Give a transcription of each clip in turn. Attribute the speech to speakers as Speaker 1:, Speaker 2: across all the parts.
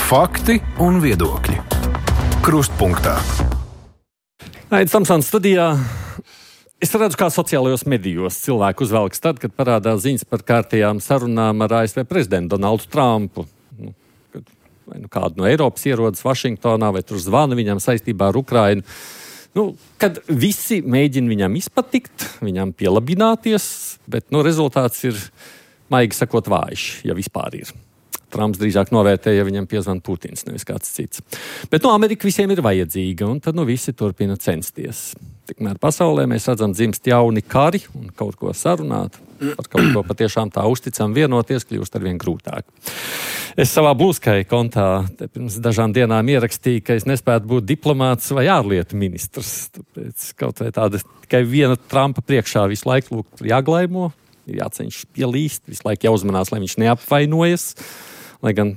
Speaker 1: Fakti un viedokļi. Krustpunktā.
Speaker 2: Aidis Tamsons studijā. Es redzu, kā sociālajos medijos cilvēku uzvelks tad, kad parādās ziņas par kārtējām sarunām ar ASV prezidentu Donaldu Trumpu. Vai kādu no Eiropas ierodas Vašingtonā, vai tur zvana viņam saistībā ar Ukrainu. Kad visi mēģina viņam izpatikt, viņam pielabināties, bet rezultāts ir, maigi sakot, vājš, ja vispār ir. Trumps drīzāk novērtēja, ja viņam piezvan Putins, nevis kāds cits. Bet Amerika visiem ir vajadzīga, un tad visi turpina censties. Tikmēr pasaulē mēs redzam dzimst jauni kari un kaut ko sarunāt. Par kaut ko patiešām tā uzticam vienoties, kļūst arvien grūtāk. Es savā Blue Sky kontā pirms dažām dienām ierakstīju, ka es nespētu būt diplomāts vai ārlietu ministrs. Tāpēc kaut vai tāda tikai viena Trumpa priekšā visu laiku jāglaimo, ir jāceņš pielīst, visu laiku jāuzmanās, lai viņš neapvainojas. Lai gan,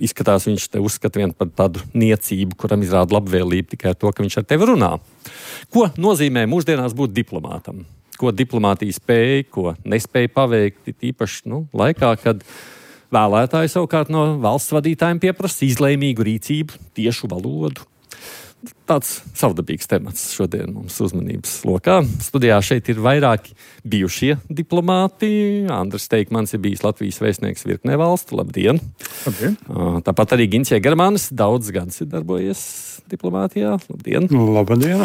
Speaker 2: izskatās, viņš te uzskata vien par tādu niecību, kuram izrāda labvēlību tikai ar to, ka viņš ar tevi runā. Ko nozīmē mūsdienās būt diplomātam? Ko diplomātija spēja, ko nespēja paveikt, īpaši laikā, kad vēlētāji savukārt no valsts vadītājiem pieprasa izlēmīgu rīcību, tiešu valodu. Tāds savdabīgs temats šodien mums uzmanības lokā. Studijā šeit ir vairāki bijušie diplomāti. Andris Teikmans ir bijis Latvijas vēstnieks virknē valstu. Labdien!
Speaker 3: Labdien!
Speaker 2: Tāpat arī Gins Jēgermanis daudz gadus ir darbojies diplomātijā. Labdien!
Speaker 3: Labdien!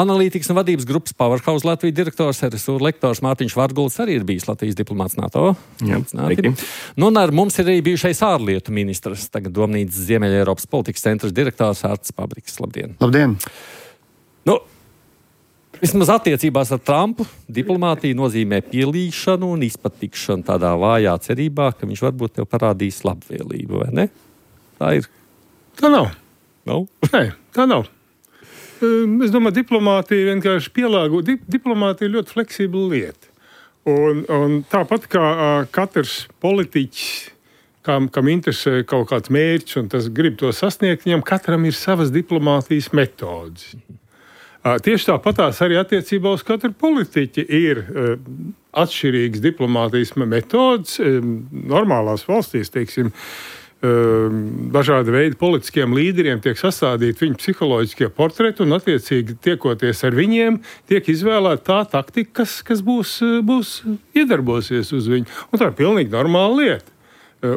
Speaker 2: Analītikas un vadības grupas Powerhouse Latvijas direktors, RSU lektors Mārtiņš Vargulis arī ir bijis Latvijas diplomāts NATO. Un ar mums ir arī bijušais ārlietu ministrs, tagad Domnīcas Ziemeļeiropas politikas centra direktors Ārts Pabriks. Labdien!
Speaker 3: Labdien!
Speaker 2: Vismaz attiecībās ar Trumpu diplomātija nozīmē pielīšanu un izpatikšanu tādā vājā cerībā, ka viņš varbūt tev parādīs labvēlību, vai ne? Tā ir.
Speaker 3: Tā nav.
Speaker 2: Nav?
Speaker 3: Nē, tā nav. Es domāju, diplomātija vienkārši pielāgo. Diplomātija ir ļoti fleksibla lieta. Un tāpat kā katrs politiķis, kam interesē kaut kāds mērķis un tas grib to sasniegt, viņam katram ir savas diplomātijas metodes. Tieši tāpatās arī attiecībā uz katru politiķi ir atšķirīgas diplomātijas metodes. Normālās valstīs, teiksim, dažādi veidi politiskiem līderiem tiek sastādīti viņu psiholoģiskie portreti un attiecīgi tiekoties ar viņiem tiek izvēlēta tā taktika, kas būs iedarbosies uz viņu. Un tā ir pilnīgi normāla lieta.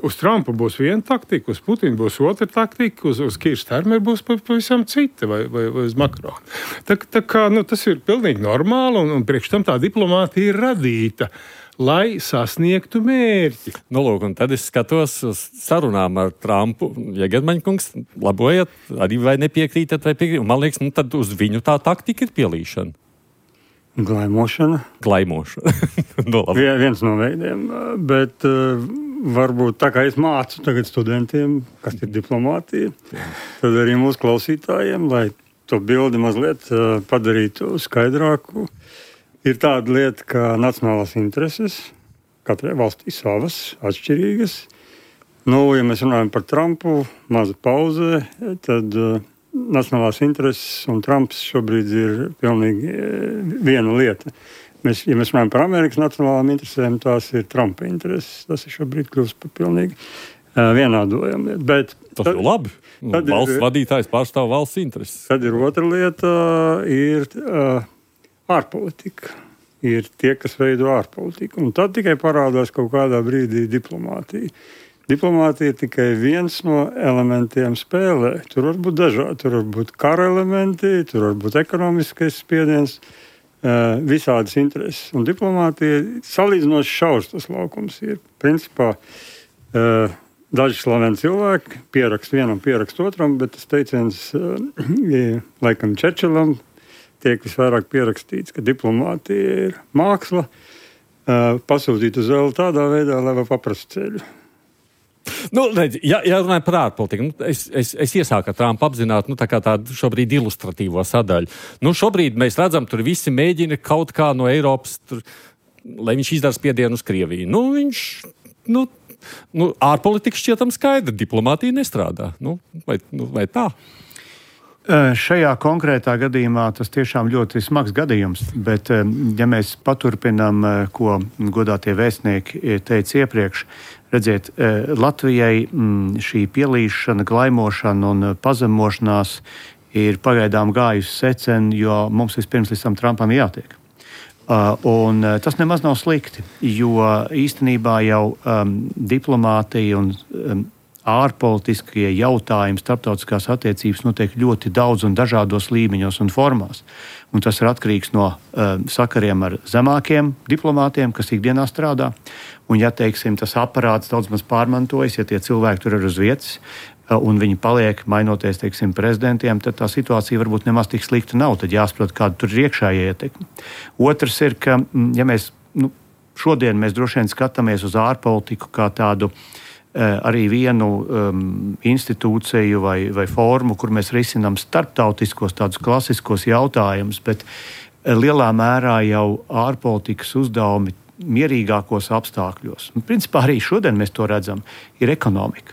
Speaker 3: Uz Trumpa būs viena taktika, uz Putina būs otra taktika, uz Kīra Starmera būs pavisam cita vai uz Makrona. Tā kā tas ir pilnīgi normāli un priekš tam tā diplomātija ir radīta, lai sasniegtu mērķi.
Speaker 2: Un tad es skatos uz sarunām ar Trumpu. Jēgermaņkungs, labojiet, arī vai nepiekrītat vai piekrītat. Man liekas, tad uz viņu tā taktika ir pielīšana.
Speaker 3: Glaimošana. Viens no veidiem, bet varbūt tā kā es mācu tagad studentiem, kas ir diplomātija, tad arī mūsu klausītājiem, lai to bildi mazliet padarītu skaidrāku, ir tāda lieta, kā nacionālās intereses, katrai valstī savas, atšķirīgas. Ja mēs runājam par Trumpu, maza pauze, tad nacionālās intereses un Trumps šobrīd ir pilnīgi viena lieta. Ja mēs runājam par Amerikas nacionālām interesēm, tās ir Trumpa intereses. Tas ir šobrīd kļūst par pilnīgi vienādojama lieta.
Speaker 2: Tas ir labi. Valsts vadītājs pārstāv valsts intereses.
Speaker 3: Tad ir otra lieta, ir ārpolitika. Ir tie, kas veido ārpolitiku. Un tad tikai parādās kaut kādā brīdī diplomātija. Diplomātija ir tikai viens no elementiem spēlē. Tur var būt dažādi. Tur var būt kara elementi, tur var būt ekonomiskais spiediens, visādas intereses. Un diplomātija salīdzinoši šaurs tas laukums ir. Principā daži slaveni cilvēki pierakst vienam, pierakst otram, bet tas teiciens laikam Čerčilam tiek visvairāk pierakstīts, ka diplomātija ir māksla pasūtīt uz vēl tādā veidā, lai var paprast ceļu.
Speaker 2: Ja runājam par ārpolitiku, es iesāku ar Trumpu apzināt, tādu šobrīd ilustratīvo sadaļu. Šobrīd mēs redzam, tur visi mēģina kaut kā no Eiropas, lai viņš izdara spiedienu uz Krieviju. Ārpolitika šķietam skaidra, diplomātija nestrādā. Vai tā?
Speaker 4: Šajā konkrētā gadījumā tas tiešām ļoti smags gadījums, bet ja mēs paturpinām, ko godātie vēstnieki teica iepriekš, redziet, Latvijai šī pielīšana, glaimošana un pazemošanās ir pagaidām gājusi secen, jo mums vispirms līdz tam Trumpam jātiek. Un tas nemaz nav slikti, jo īstenībā jau diplomātija un ārpolitiskie jautājumi, starptautiskās attiecības notiek ļoti daudz un dažādos līmeņos un formās. Un tas ir atkarīgs no sakariem ar zemākiem diplomātiem, kas ikdienā strādā. Un ja, teiksim, tas aparāts daudz maz pārmantojas, ja tie cilvēki tur ir uz vietas un viņi paliek mainoties, teiksim, prezidentiem, tad tā situācija varbūt nemaz tik slikta nav. Tad jāsaprot, kāda tur ir iekšējā ietekme. Otrs ir, ka ja mēs, šodien mēs droši vien skatāmies uz ārpolitiku kā tādu arī vienu institūciju vai formu, kur mēs risinām starptautiskos tādus klasiskos jautājumus, bet lielā mērā jau ārpolitikas uzdevumi mierīgākos apstākļos. Un, principā arī šodien mēs to redzam, ir ekonomika.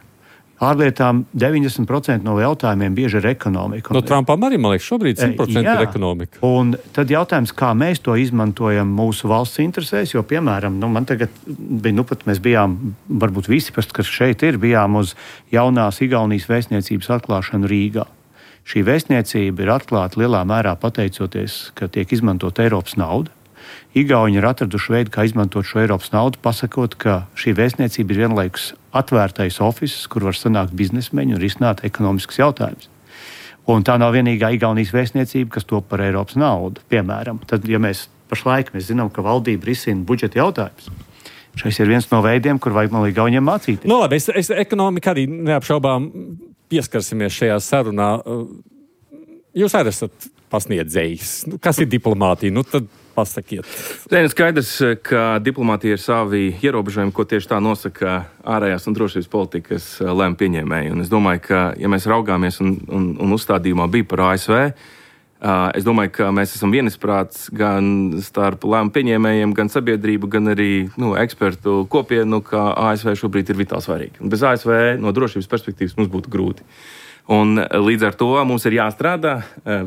Speaker 4: Ārlietām 90% no jautājumiem bieži ir ekonomika.
Speaker 2: No Trumpam arī, man liekas, šobrīd 100% ir ekonomika.
Speaker 4: Un tad jautājums, kā mēs to izmantojam mūsu valsts interesēs, jo, piemēram, man tagad bija, pat mēs bijām, varbūt visi, kas šeit ir, bijām uz jaunās Igaunijas vēstniecības atklāšanu Rīgā. Šī vēstniecība ir atklāta lielā mērā pateicoties, ka tiek izmantot Eiropas nauda. Igauņi ir atraduši veidu, kā izmantot šo Eiropas naudu, pasakot, ka šī vēstniecība ir vienlaikus atvērtais ofiss, kur var sanākt biznesmeņi un risināt ekonomiskus jautājumus. Un tā nav vienīgā Igaunijas vēstniecība, kas top par Eiropas naudu. Piemēram, tad, ja mēs pašlaik zinām, ka valdība risina budžeta jautājumus, šis ir viens no veidiem, kur vajag man Igauniem mācīties.
Speaker 2: No labi, es ekonomika arī neapšaubām pieskarsimies šajā sarunā. Jūs arī esat pasniedzējis. Kas ir diplomātija? Tad pasakiet.
Speaker 5: Skaidrs, ka diplomātija ir savi ierobežojumi, ko tieši tā nosaka ārējās un drošības politikas lēmumu pieņēmēji. Un es domāju, ka, ja mēs raugāmies un uzstādījumā bija par ASV, es domāju, ka mēs esam vienisprāts gan starp lēmumu pieņēmējiem, gan sabiedrību, gan arī ekspertu kopienu, ka ASV šobrīd ir vitāli svarīgi. Un bez ASV no drošības perspektīvas mums būtu grūti. Un līdz ar to mums ir jāstrādā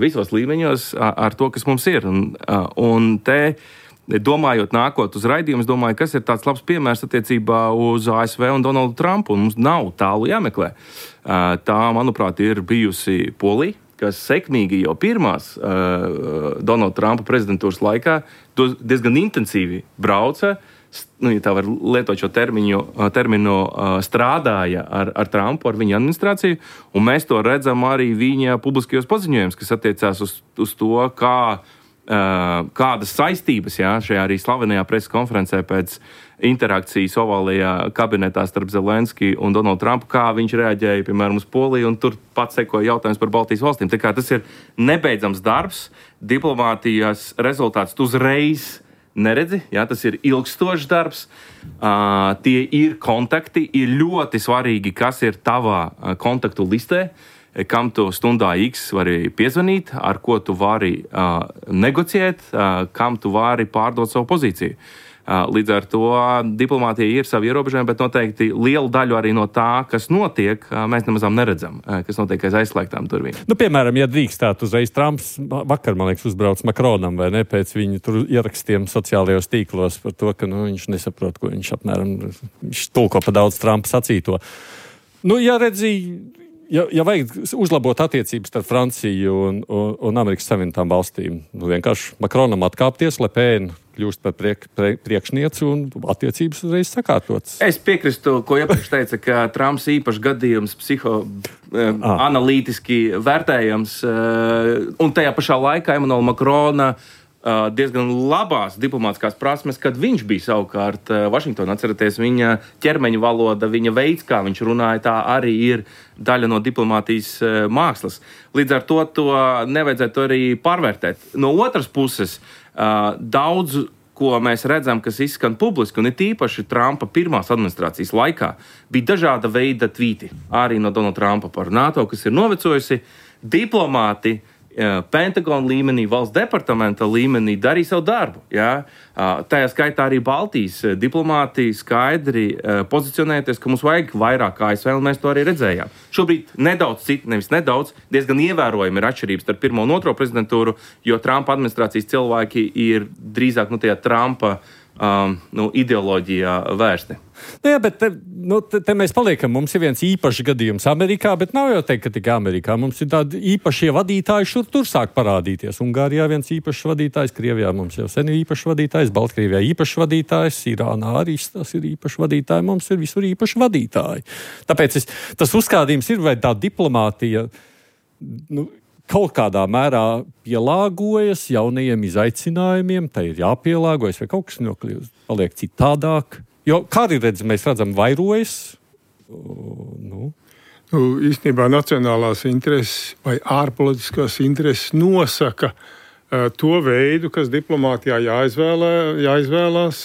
Speaker 5: visos līmeņos ar to, kas mums ir. Un te, domājot nākot uz raidījumu, es domāju, kas ir tāds labs piemērs attiecībā uz ASV un Donaldu Trumpu. Un mums nav tālu jāmeklē. Tā, manuprāt, ir bijusi Polija, kas sekmīgi jau pirmās Donalda Trumpa prezidentūras laikā diezgan intensīvi brauca, ja tā var lietot šo terminu, strādāja ar Trumpu, ar viņa administrāciju, un mēs to redzam arī viņa publiskajos paziņojumos, kas attiecās uz to, kādas saistības šajā arī slavenajā preses konferencē pēc interakcijas ovālajā kabinetā starp Zelenski un Donaldu Trumpu, kā viņš reaģēja, piemēram, uz Poliju, un tur pats sekoja jautājums par Baltijas valstīm. Tā kā tas ir nebeidzams darbs, diplomātijas rezultāts uzreiz neredzi, tas ir ilgstošs darbs, tie ir kontakti, ir ļoti svarīgi, kas ir tavā kontaktu listē, kam tu stundā X vari piezvanīt, ar ko tu vari negociēt, kam tu vari pārdot savu pozīciju. Līdz ar to diplomātija ir savi ierobežojumi, bet noteikti lielu daļu arī no tā, kas notiek, mēs nemazām neredzam, kas notiek aiz aizslēgtām durvīm.
Speaker 2: Piemēram, ja drīkstētu uzreiz Trumps vakar, man liekas, uzbrauc Makronam, vai ne, pēc viņa tur ierakstiem sociālajos tīklos par to, ka viņš nesaprot, ko viņš apmēram tulko pa daudz Trumpa sacīto. Ja redzīja, ja vajag uzlabot attiecības starp Franciju un Amerikas Savienotām valstīm, vienkārši Makronam atkāpties, Le Pen kļūst par priekšnieci un attiecības uzreiz sakārtotas.
Speaker 5: Es piekrīstu, ko iepriekš teica, ka Trumps īpašs gadījums analītiski vērtējams, un tajā pašā laikā Emmanuela Makrona diezgan labās diplomātiskās prasmes, kad viņš bija savukārt Vašingtonā. Atceraties, viņa ķermeņa valoda, viņa veids, kā viņš runāja, tā arī ir daļa no diplomātijas mākslas. Līdz ar to nevajadzētu arī pārvērtēt. No otras puses, daudz, ko mēs redzam, kas izskan publiski, un ir tīpaši Trumpa pirmās administrācijas laikā, bija dažāda veida tvīti, arī no Donalda Trumpa par NATO, kas ir novecojusi. Diplomāti Pentagona līmenī, valsts departamenta līmenī darīja savu darbu. Ja? Tajā skaitā arī Baltijas diplomāti skaidri pozicionēties, ka mums vajag vairāk ASV, un mēs to arī redzējām. Šobrīd diezgan ievērojami ir atšķirības starp pirmo un otro prezidentūru, jo Trumpa administrācijas cilvēki ir drīzāk tajā Trumpa ideoloģijā vērsti.
Speaker 2: Jā, bet te mēs paliekam. Mums ir viens īpašs gadījums Amerikā, bet nav jau teikt, ka tikai Amerikā. Mums ir tādi īpašie vadītāji šur tur sāk parādīties. Ungārijā viens īpašs vadītājs, Krievijā mums jau sen ir īpašs vadītājs, Baltkrievijā īpašs vadītājs, Irānā arī tas ir īpašs vadītāji, mums ir visur īpaši vadītāji. Tāpēc tas uzskādījums ir, vai tā diplomātija kaut kādā mērā pielāgojas jaunajiem izaicinājumiem, tai ir jāpielāgojas, vai kaut kas paliek citādāk. Jo, kā arī mēs redzam, vairojas.
Speaker 3: Īstenībā nacionālās intereses vai ārpolitiskās intereses nosaka to veidu, kas diplomātijā jāizvēlās,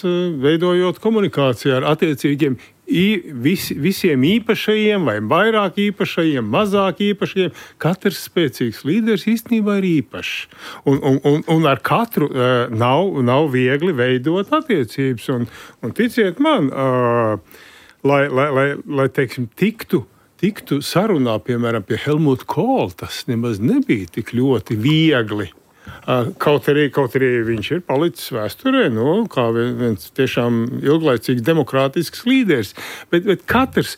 Speaker 3: veidojot komunikāciju ar attiecīgiem visiem īpašajiem vai vairāk īpašajiem, mazāk īpašajiem. Katrs spēcīgs līderis īstenībā ir īpašs. Un ar katru nav viegli veidot attiecības. Un ticiet man, lai teiksim, tiktu sarunā, piemēram, pie Helmuta Kohla, tas nemaz nebija tik ļoti viegli. Kaut arī viņš ir palicis vēsturē, kā viens tiešām ilglaicīgs demokrātisks līderis. Bet katrs,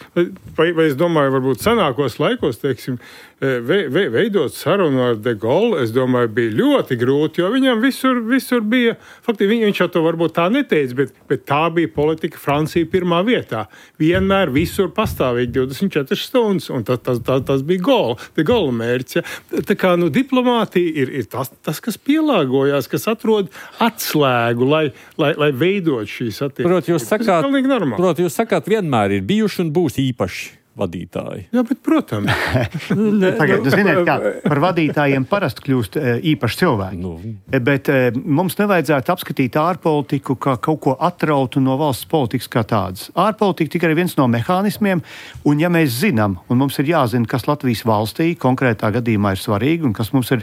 Speaker 3: vai es domāju, varbūt senākos laikos, teiksim, veidot sarunu ar De Gaulle, es domāju, bija ļoti grūti, jo viņam visur bija, faktiski viņš jau to varbūt tā neteica, bet tā bija politika Francija pirmā vietā. Vienmēr visur pastāvīgi 24 stundas, un tas bija De Gaulle mērķis. Ja. Tā kā diplomātija ir tas, kas pielāgojās, kas atrod atslēgu, lai veidot šīs attiecības.
Speaker 2: Proti, jūs sakāt, vienmēr ir bijuši un būs īpaši vadītāji.
Speaker 3: Jā, bet, protams.
Speaker 4: Tagad, ziniet, kā par vadītājiem parasti kļūst īpaši cilvēki. Bet mums nevajadzētu apskatīt ārpolitiku kā kaut ko atrautu no valsts politikas kā tādas. Ārpolitika tikai ir viens no mehānismiem, un ja mēs zinām, un mums ir jāzina, kas Latvijas valstī konkrētā gadījumā ir svarīgi, un kas mums ir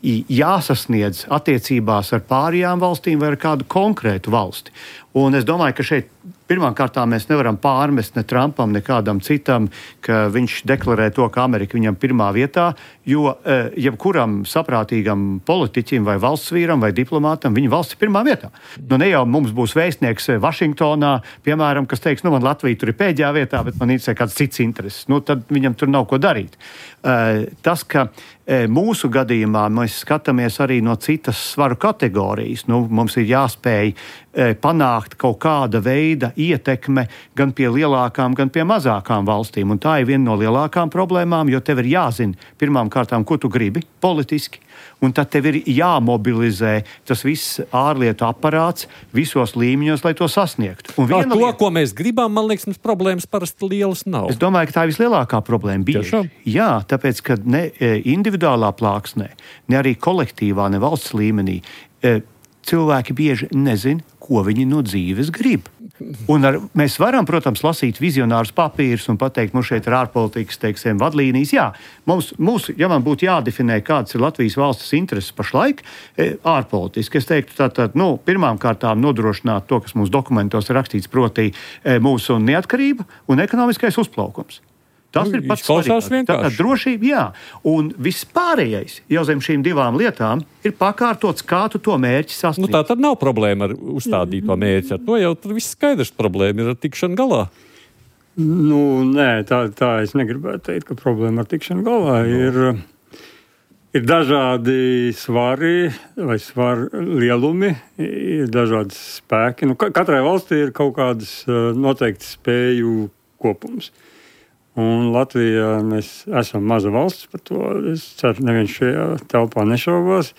Speaker 4: jāsasniedz attiecībās ar pārējām valstīm vai ar kādu konkrētu valsti. Un es domāju, ka šeit pirmkārt mēs nevaram pārmest ne Trumpam, ne kādam citam, ka viņš deklarē to, ka Amerika viņam pirmā vietā, jo jebkuram saprātīgam politiķim vai valsts vīram vai diplomātam viņa valsts ir pirmā vietā. Ne jau mums būs vēstnieks Vašingtonā, piemēram, kas teiks, man Latvija tur ir pēdējā vietā, bet man interesē kāds cits intereses. Tad viņam tur nav ko darīt. Tas, ka mūsu gadījumā mēs skatāmies arī no citas svaru kategorijas. Mums ir jāspēj panākt kaut kāda veida ietekme gan pie lielākām, gan pie mazākām valstīm. Un tā ir viena no lielākām problēmām, jo tev ir jāzina pirmām kārtām, ko tu gribi politiski, un tad tev ir jāmobilizē tas viss ārlietu aparāts visos līmeņos, lai to sasniegtu.
Speaker 2: Ko mēs gribam, man liekas, mums problēmas parasti lielas nav.
Speaker 4: Es domāju, ka tā ir vislielākā problēma. Jā, tāpēc, ka ne individuālā plāksnē, ne arī kolektīvā, ne valsts līmenī cilvēki bieži nezin, ko viņi no dzīves grib. Un mēs varam, protams, lasīt vizionārus papīrus un pateikt, šeit ir ārpolitikas, teiksim, vadlīnijas. Jā, ja man būtu jādefinē, kādas ir Latvijas valsts intereses pašlaik, ārpolitiski, es teiktu, tātad, pirmām kārtām nodrošināt to, kas mūsu dokumentos ir rakstīts, proti mūsu neatkarība un ekonomiskais uzplaukums. Tas ir pats svarīgākais. Tātad drošība, jā. Un viss pārējais jau zem šīm divām lietām ir pakārtots, kā tu to mērķi sasniedz.
Speaker 2: Tā tad nav problēma ar uzstādīto mērķi. Ar to jau viss skaidrs, problēma ir ar tikšanu galā.
Speaker 6: Nē, tā es negribētu teikt, ka problēma ar tikšanu galā ir dažādi svari vai svaru lielumi, ir dažādi spēki. Katrai valstī ir kaut kādas noteikti spēju kopums. Un Latvijā mēs esam maza valsts par to. Es ceru, neviens šajā telpā nešaubās.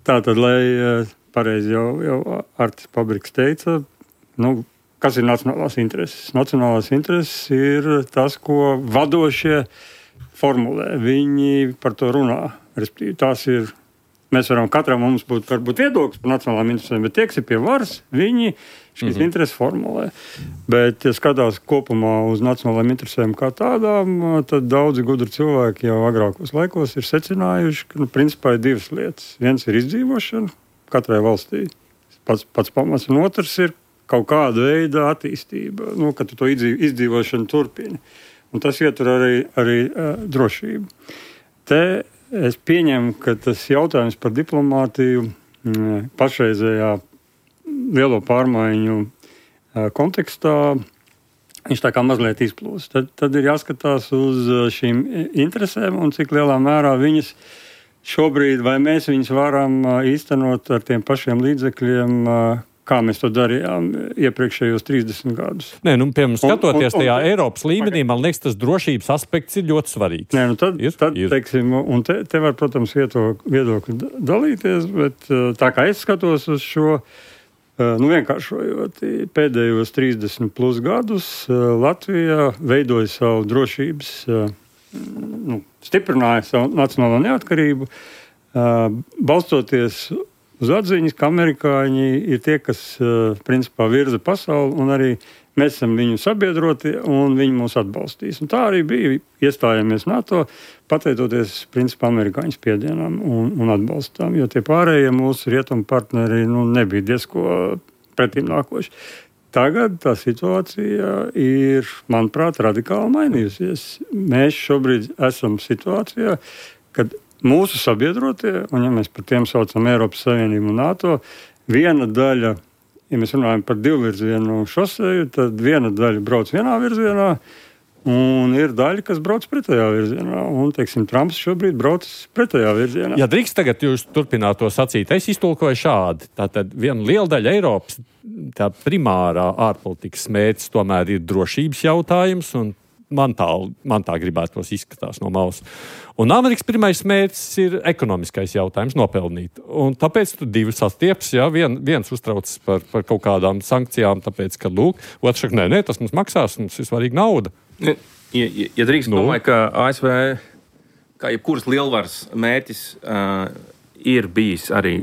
Speaker 6: Tātad, lai pareizi jau Artis Pabriks teica, kas ir nacionālās intereses? Nacionālās intereses ir tas, ko vadošie formulē. Viņi par to runā. Respektīvi, tās ir Mēs varam, katram mums būt varbūt viedoklis par nacionālām interesēm, bet tie, kas ir pie varas, viņi šīs intereses formulē. Bet, ja skatās kopumā uz nacionālām interesēm kā tādām, tad daudzi gudri cilvēki jau agrākos laikos ir secinājuši, ka, principā, ir divas lietas. Viens ir izdzīvošana katrai valstī, pats pamats, un otrs ir kaut kāda veida attīstība, ka tu to izdzīvošanu turpini. Un tas ietur arī drošību. Te es pieņemu, ka tas jautājums par diplomātiju pašreizējā lielo pārmaiņu kontekstā, viņš tā kā mazliet izplūst. Tad ir jāskatās uz šīm interesēm un cik lielā mērā viņas šobrīd, vai mēs viņas varam īstenot ar tiem pašiem līdzekļiem, kā mēs to darījām iepriekšējos 30 gadus.
Speaker 2: Nē, piemēram, skatoties tajā Eiropas līmenī, man liekas, tas drošības aspekts ir ļoti svarīgs.
Speaker 6: Nē, tad teiksim, un te var, protams, viedokļi dalīties, bet tā kā es skatos uz šo, vienkāršojot, pēdējos 30 plus gadus Latvija veidoja savu drošības, stiprināja savu nacionālo neatkarību, balstoties uz atziņas, ka amerikāņi ir tie, kas principā virza pasauli, un arī mēs esam viņu sabiedroti, un viņi mūs atbalstīs. Un tā arī bija. Iestājāmies NATO, pateicoties principā amerikāņu spiedienam un atbalstām, jo tie pārējie mūsu rietumu partneri nebija diezko pretim nākoši. Tagad tā situācija ir, manuprāt, radikāli mainījusies. Mēs šobrīd esam situācijā, kad mūsu sabiedrotie, un ja mēs par tiem saucam Eiropas Savienību un NATO, viena daļa, ja mēs runājam par divvirzienu šoseju, tad viena daļa brauc vienā virzienā, un ir daļa, kas brauc pretējā virzienā. Un, teiksim, Trumps šobrīd brauc pretējā virzienā.
Speaker 2: Ja drīkst tagad jūs turpināt to sacīt, es iztulkoju šādi. Tātad viena liela daļa Eiropas, tā primārā ārpolitikas mērķis tomēr ir drošības jautājums, un man tā gribētos izskatās no malas. Un Amerikas pirmais mērķis ir ekonomiskais jautājums nopelnīt. Un tāpēc tu divi sastieps, viens uztraucas par kaut kādām sankcijām, tāpēc, ka, otrs saka, nē, tas mums maksās, mums ir svarīga nauda.
Speaker 5: Ja drīkst, domāju, ka ASV, kā jebkuras lielvaras mērķis, ir bijis arī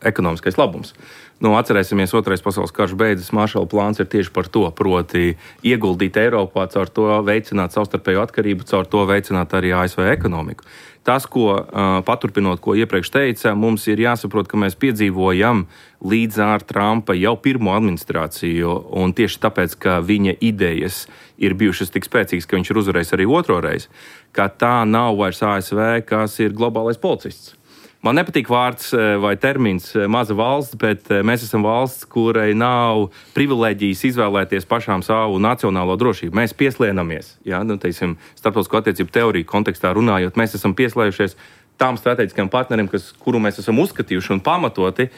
Speaker 5: ekonomiskais labums. Atcerēsimies, Otrais pasaules karš beidzas, Maršala plāns ir tieši par to, proti ieguldīt Eiropā, caur to veicināt savstarpēju atkarību, caur to veicināt arī ASV ekonomiku. Tas, paturpinot, ko iepriekš teica, mums ir jāsaprot, ka mēs piedzīvojam līdz ar Trumpa jau pirmo administrāciju, un tieši tāpēc, ka viņa idejas ir bijušas tik spēcīgas, ka viņš ir uzvarējis arī otro reizi, ka tā nav vairs ASV, kas ir globālais policists. Man nepatīk vārds vai termins maza valsts, bet mēs esam valsts, kurai nav privilēģijas izvēlēties pašām savu nacionālo drošību. Mēs pieslienamies, starptautisko attiecību teoriju kontekstā runājot, mēs esam pieslējušies tām strateģiskajām partneriem, kuru mēs esam uzskatījuši un pamatoti,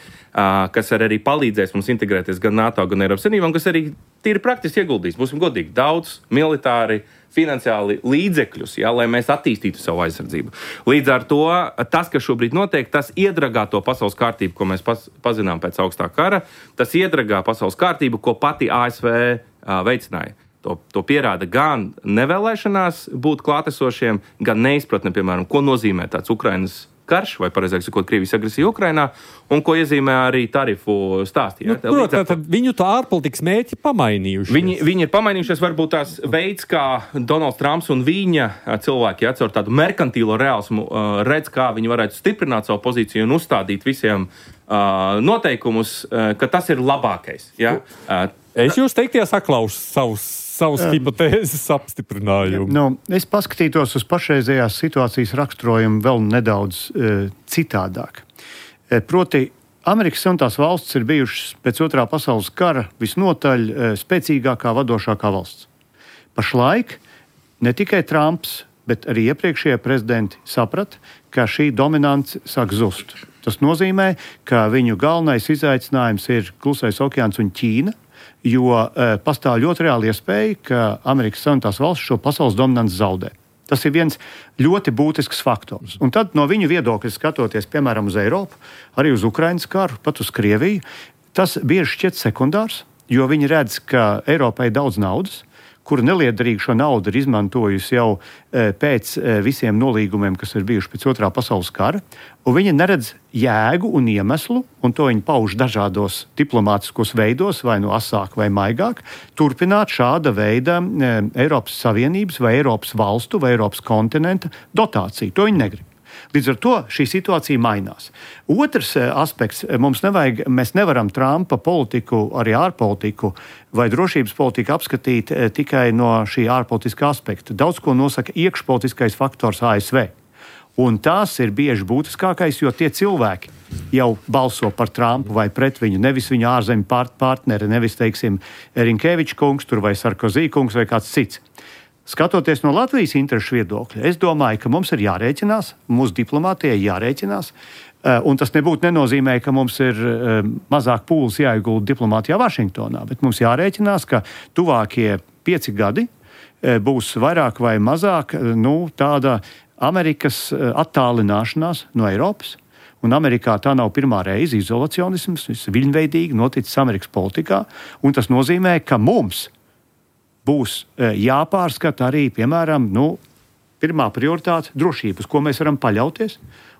Speaker 5: kas arī palīdzēs mums integrēties gan NATO, gan Eiropas Savienībā, kas arī tīri praktiski ieguldīs. Būsim godīgi, daudz militāri, finansiāli līdzekļus, lai mēs attīstītu savu aizsardzību. Līdz ar to tas, kas šobrīd notiek, tas iedragā to pasaules kārtību, ko mēs pazinām pēc augstā kara, tas iedragā pasaules kārtību, ko pati ASV veicināja. To pierāda gan nevēlēšanās būt klātesošiem, gan neizpratne, piemēram, ko nozīmē tāds Ukrainas karš, vai pareizāk sakot, Krievijas agresija Ukrainā, un ko iezīmē arī tarifu stāstī.
Speaker 2: Protams, tad viņu tā ārpolitikas mērķi pamainījušies.
Speaker 5: Viņi ir pamainījušies, varbūt tās veids, kā Donalds Trumps un viņa cilvēki caur tādu merkantīlo reālismu redz, kā viņi varētu stiprināt savu pozīciju un uzstādīt visiem noteikumus, ka tas ir labākais. Ja?
Speaker 2: Es jūs teiktie saklausu savus hipotēzes apstiprinājumu.
Speaker 4: Es paskatītos uz pašreizējās situācijas raksturojumu vēl nedaudz citādāk. Proti, Amerikas Savienotās valstis ir bijušas pēc Otrā pasaules kara visnotaļ spēcīgākā vadošākā valsts. Pašlaik ne tikai Trumps, bet arī iepriekšējie prezidenti saprata, ka šī dominance sāk zust. Tas nozīmē, ka viņu galvenais izaicinājums ir Klusais okeāns un Ķīna, jo pastāv ļoti reāli iespēja, ka Amerikas Savienotās valstis šo pasaules dominanci zaudē. Tas ir viens ļoti būtisks faktors. Un tad no viņu viedokļa skatoties, piemēram, uz Eiropu, arī uz Ukrainas karu, pat uz Krieviju, tas bieži šķiet sekundārs, jo viņi redz, ka Eiropai ir daudz naudas, kura neliederīgi šo naudu ir izmantojusi jau pēc visiem nolīgumiem, kas ir bijuši pēc Otrā pasaules kara, un viņa neredz jēgu un iemeslu, un to viņa pauž dažādos diplomātiskos veidos, vai no asāk vai maigāk, turpināt šāda veida Eiropas Savienības vai Eiropas valstu vai Eiropas kontinenta dotāciju. To viņa negrib. Līdz ar to šī situācija mainās. Otrs aspekts, mēs nevaram Trumpa politiku, arī ārpolitiku vai drošības politiku apskatīt tikai no šī ārpolitiskā aspekta. Daudz ko nosaka iekšpolitiskais faktors ASV. Un tās ir bieži būtiskākais, jo tie cilvēki jau balso par Trumpu vai pret viņu, nevis viņa ārzemju partneri, nevis, teiksim, Rinkeviča kungs tur vai Sarkozī kungs vai kāds cits. Skatoties no Latvijas interešu viedokļa, es domāju, ka mums ir jārēķinās, mūsu diplomātijai jārēķinās, un tas nenozīmē, ka mums ir mazāk pūles jāiegulda diplomātijā Vašingtonā, bet mums jārēķinās, ka tuvākie 5 gadi būs vairāk vai mazāk tāda Amerikas attālināšanās no Eiropas. Un Amerikā tā nav pirmā reize izolacionisms, tas viļņveidīgi noticis Amerikas politikā, un tas nozīmē, ka mums būs jāpārskata arī, piemēram, pirmā prioritāte drošības, ko mēs varam paļauties.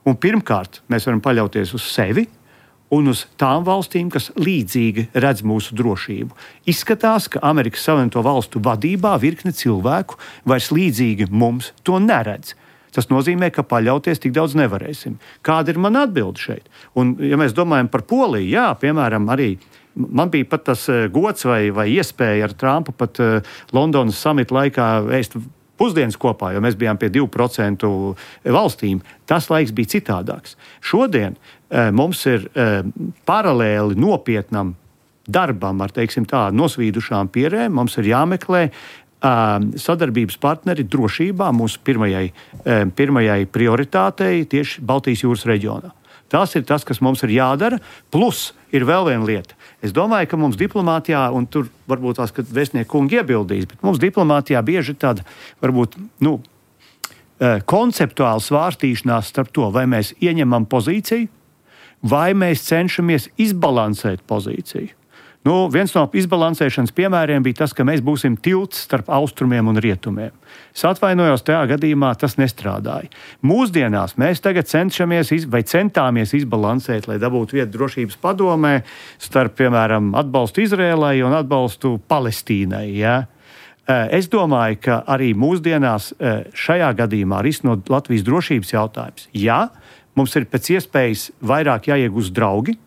Speaker 4: Un pirmkārt, mēs varam paļauties uz sevi un uz tām valstīm, kas līdzīgi redz mūsu drošību. Izskatās, ka Amerikas Savienoto Valstu vadībā virkne cilvēku vairs līdzīgi mums to neredz. Tas nozīmē, ka paļauties tik daudz nevarēsim. Kāda ir mana atbilde šeit? Un, ja mēs domājam par Poliju, jā, piemēram, arī man bija pat tas gods vai iespēja ar Trumpu pat Londonas samita laikā ēst pusdienas kopā, jo mēs bijām pie 2% valstīm. Tas laiks bija citādāks. Šodien mums ir paralēli nopietnam darbam ar, teiksim tā, nosvīdušām pierēm. Mums ir jāmeklē sadarbības partneri drošībā mūsu pirmajai prioritātei tieši Baltijas jūras reģionā. Tas ir tas, kas mums ir jādara. Plus ir vēl viena lieta. Es domāju, ka mums diplomātijā, un tur varbūt tās, ka vēstnieku kungi iebildīs, bet mums diplomātijā bieži ir tāda, varbūt, konceptuāla svārstīšanās starp to, vai mēs ieņemam pozīciju, vai mēs cenšamies izbalansēt pozīciju. Viens no izbalansēšanas piemēriem bija tas, ka mēs būsim tilts starp austrumiem un rietumiem. Es atvainojos, tajā gadījumā tas nestrādāja. Mūsdienās mēs tagad centāmies izbalansēt, lai dabūtu vietu drošības padomē starp, piemēram, atbalstu Izrēlai un atbalstu Palestīnai. Ja? Es domāju, ka arī mūsdienās šajā gadījumā risinot Latvijas drošības jautājums, jā, mums ir pēc iespējas vairāk jāiegūst draugi,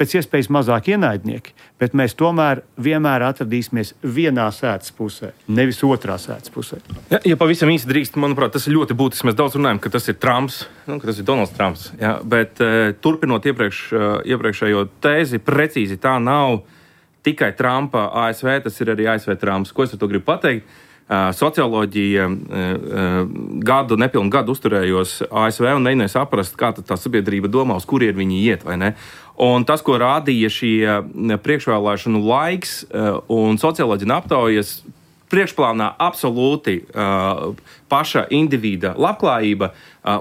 Speaker 4: pēc iespējas mazāk ienaidnieki, bet mēs tomēr vienmēr atradīsimies vienā sēdes pusē, nevis otrā sēdes pusē.
Speaker 5: Ja pavisam īsi drīkst, manuprāt, tas ir ļoti būtisks. Mēs daudz runājam, ka tas ir Trumps, ka tas ir Donalds Trumps. Ja? Bet turpinot iepriekšējo tēzi, precīzi tā nav tikai Trumpa ASV, tas ir arī ASV Trumps. Ko es ar to gribu pateikt? Socioloģija nepilnu gadu uzturējos ASV un mēģināju saprast, kā tā sabiedrība domā, uz kurien viņi iet, vai ne? Un tas, ko rādīja šie priekšvēlēšanu laiks un socioloģija aptaujas, priekšplānā absolūti paša individa labklājība.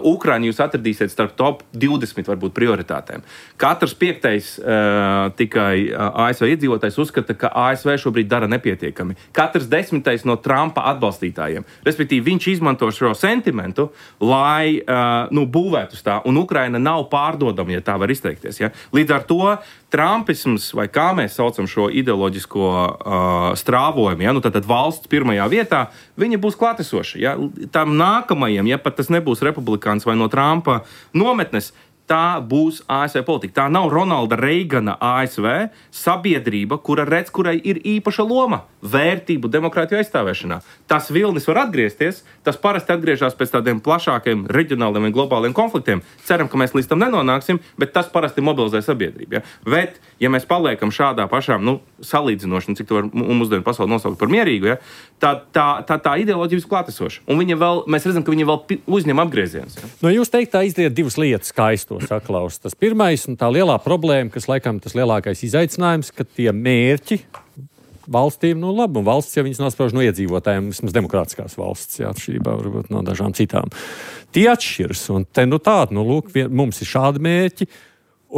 Speaker 5: Ukrainu jūs atradīsiet starp top 20 varbūt prioritātēm. Katrs 5. tikai ASV iedzīvotājs uzskata, ka ASV šobrīd dara nepietiekami. Katrs 10. no Trumpa atbalstītājiem. Respektīvi, viņš izmanto šo sentimentu, lai būvētu uz tā, un Ukraina nav pārdodama, ja tā var izteikties. Ja? Līdz ar to trumpisms, vai kā mēs saucam šo ideoloģisko strāvojumu, ja? Tātad valsts pirmajā vietā, viņa būs klātesoša. Ja? Tam nākamajam, ja pat tas nebūs republikāns vai no Trumpa nometnes, tā būs ASV politika. Tā nav Ronalda Reigana ASV sabiedrība, kurai ir īpaša loma vērtību demokrātiju aizstāvēšanā. Tas vilnis var atgriezties, tas parasti atgriežas pēc tādiem plašākiem reģionāliem un globāliem konfliktiem. Ceram, ka mēs līdz tam nenonāksim, bet tas parasti mobilizē sabiedrību. Ja? Bet, ja mēs paliekam šādā pašām salīdzinoši, cik to var mūsdienu pasauli nosaukt par mierīgu, ja? tā ideoloģija ir klātesoša. Un mēs redzam, ka viņa vēl uzņem apgriezienus. Ja?
Speaker 2: No jūs teikt, tā izriet divas lietas, kā es to saklaus. Tas pirmais un tā lielā problēma, kas laikam tas lielākais izaicinājums, ka tie mērķi valstīm, labi, un valsts, ja viņas nosprauž no iedzīvotājiem, vismaz demokrātiskās valsts, atšķirībā varbūt no dažām citām. Tie atšķiras, un te lūk, mums ir šādi mērķi,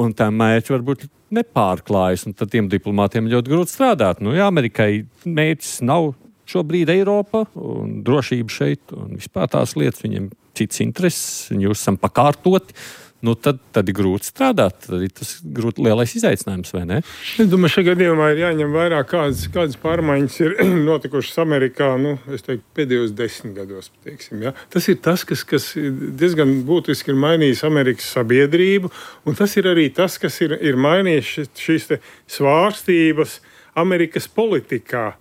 Speaker 2: un tā mērķi varbūt nepārklājas, un tad tiem diplomātiem ļoti grūti strādāt. Amerikai mērķis nav šobrīd Eiropa un drošība šeit un vispār tās lietas, viņiem cits intereses, jūs esam pakārtoti. Tad ir grūti strādāt. Tad ir tas lielais izaicinājums, vai ne?
Speaker 3: Es domāju, šajā gadījumā ir jāņem vērā, kādas pārmaiņas ir notikušas Amerikā, es teiktu, pēdējos 10 gados. Teiksim, ja? Tas ir tas, kas diezgan būtiski ir mainījis Amerikas sabiedrību, un tas ir arī tas, kas ir mainījis šīs svārstības Amerikas politikā.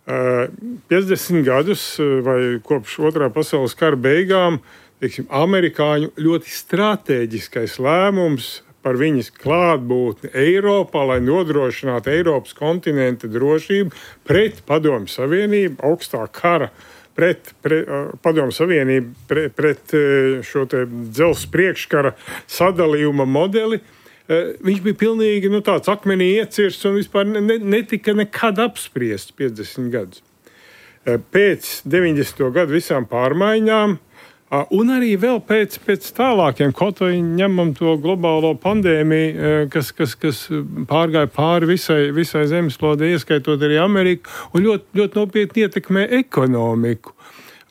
Speaker 3: 50 gadus vai kopš otrā pasaules kara beigām amerikāņu ļoti stratēģiskais lēmums par viņas klātbūtni Eiropā, lai nodrošinātu Eiropas kontinenta drošību pret Padomju Savienību, augstā kara, pret Padomju Savienību, pret šo te dzelzs priekškara sadalījuma modeli. Viņš bija pilnīgi tāds akmenī iecirsts un vispār netika nekad apspriests 50 gadus. Pēc 90. gadu visām pārmaiņām, un arī vēl pēc tālākiem, kaut vai ņemam to globālo pandēmiju, kas pārgāja pāri visai zemeslodei, ieskaitot arī Ameriku, un ļoti, ļoti nopietni ietekmē ekonomiku.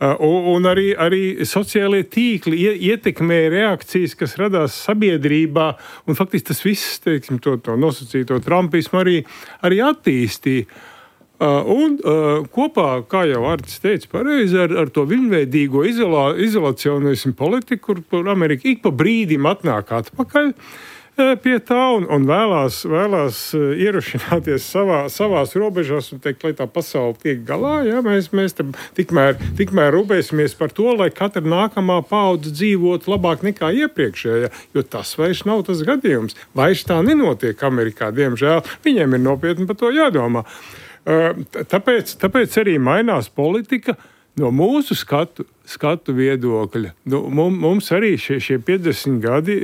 Speaker 3: Un arī sociālie tīkli ietekmē reakcijas, kas radās sabiedrībā, un faktiski tas viss, teiksim, to nosacīto trumpismu arī attīstīja. Un kopā, kā jau Artis teica pareizi, ar to viņveidīgo izolacionismu politiku, kur Amerika ik pa brīdim atnāk atpakaļ pie tā un vēlās ierušināties savās robežās un teikt, lai tā pasaule tiek galā. Ja? Mēs tikmēr rūpēsimies par to, lai katra nākamā paudze dzīvotu labāk nekā iepriekšējā, jo tas vairs nav tas gadījums. Vairs tā nenotiek Amerikā, diemžēl. Viņiem ir nopietni par to jādomā. Tāpēc arī mainās politika no mūsu skatu viedokļa. Mums arī šie 50 gadi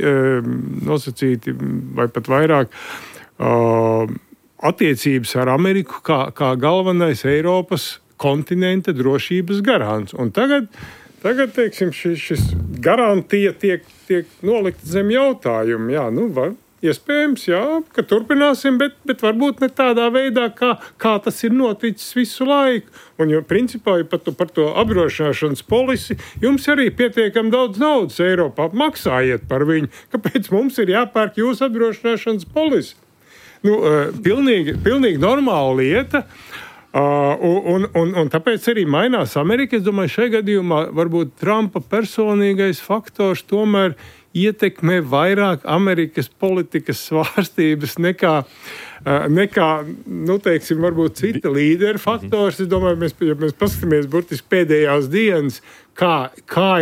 Speaker 3: nosacīti vai pat vairāk attiecības ar Ameriku kā galvenais Eiropas kontinenta drošības garants. Un tagad teiksim, šis garantija tiek nolikt zem jautājumu. Jā, iespējams, jā, ka turpināsim, bet varbūt ne tādā veidā, kā tas ir noticis visu laiku. Un principā par to apdrošināšanas polisi jums arī pietiekami daudz naudas Eiropā. Maksājiet par viņu. Kāpēc mums ir jāpērk jūsu apdrošināšanas polisi? Pilnīgi normāla lieta. Un tāpēc arī mainās Amerika. Es domāju, šajā gadījumā varbūt Trumpa personīgais faktors tomēr ietekmē vairāk Amerikas politikas svārstības nekā teiksim, varbūt cita līdera faktors. Es domāju, ja mēs paskatāmies burtiski pēdējās dienas, kā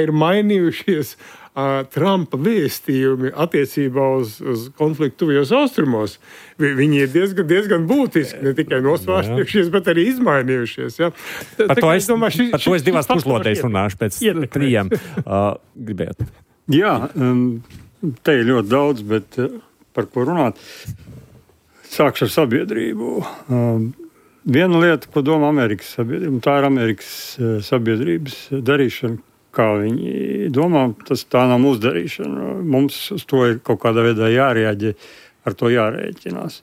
Speaker 3: ir mainījušies Trumpa vēstījumi attiecībā uz konfliktu tuvajos austrumos. Viņi ir diezgan būtiski, ne tikai nosvārstījušies, bet arī izmainījušies. Ja?
Speaker 2: Par to es divās puslodēs runāšu pēc 3. Gribētu.
Speaker 6: Jā, te ir ļoti daudz, bet par ko runāt? Sākšu ar sabiedrību. Viena lieta, ko domā Amerikas sabiedrība, tā ir Amerikas sabiedrības darīšana, kā viņi domā, tā nav mūsu darīšana. Mums uz to ir kaut kādā veidā jārēģē, ar to jārēķinās.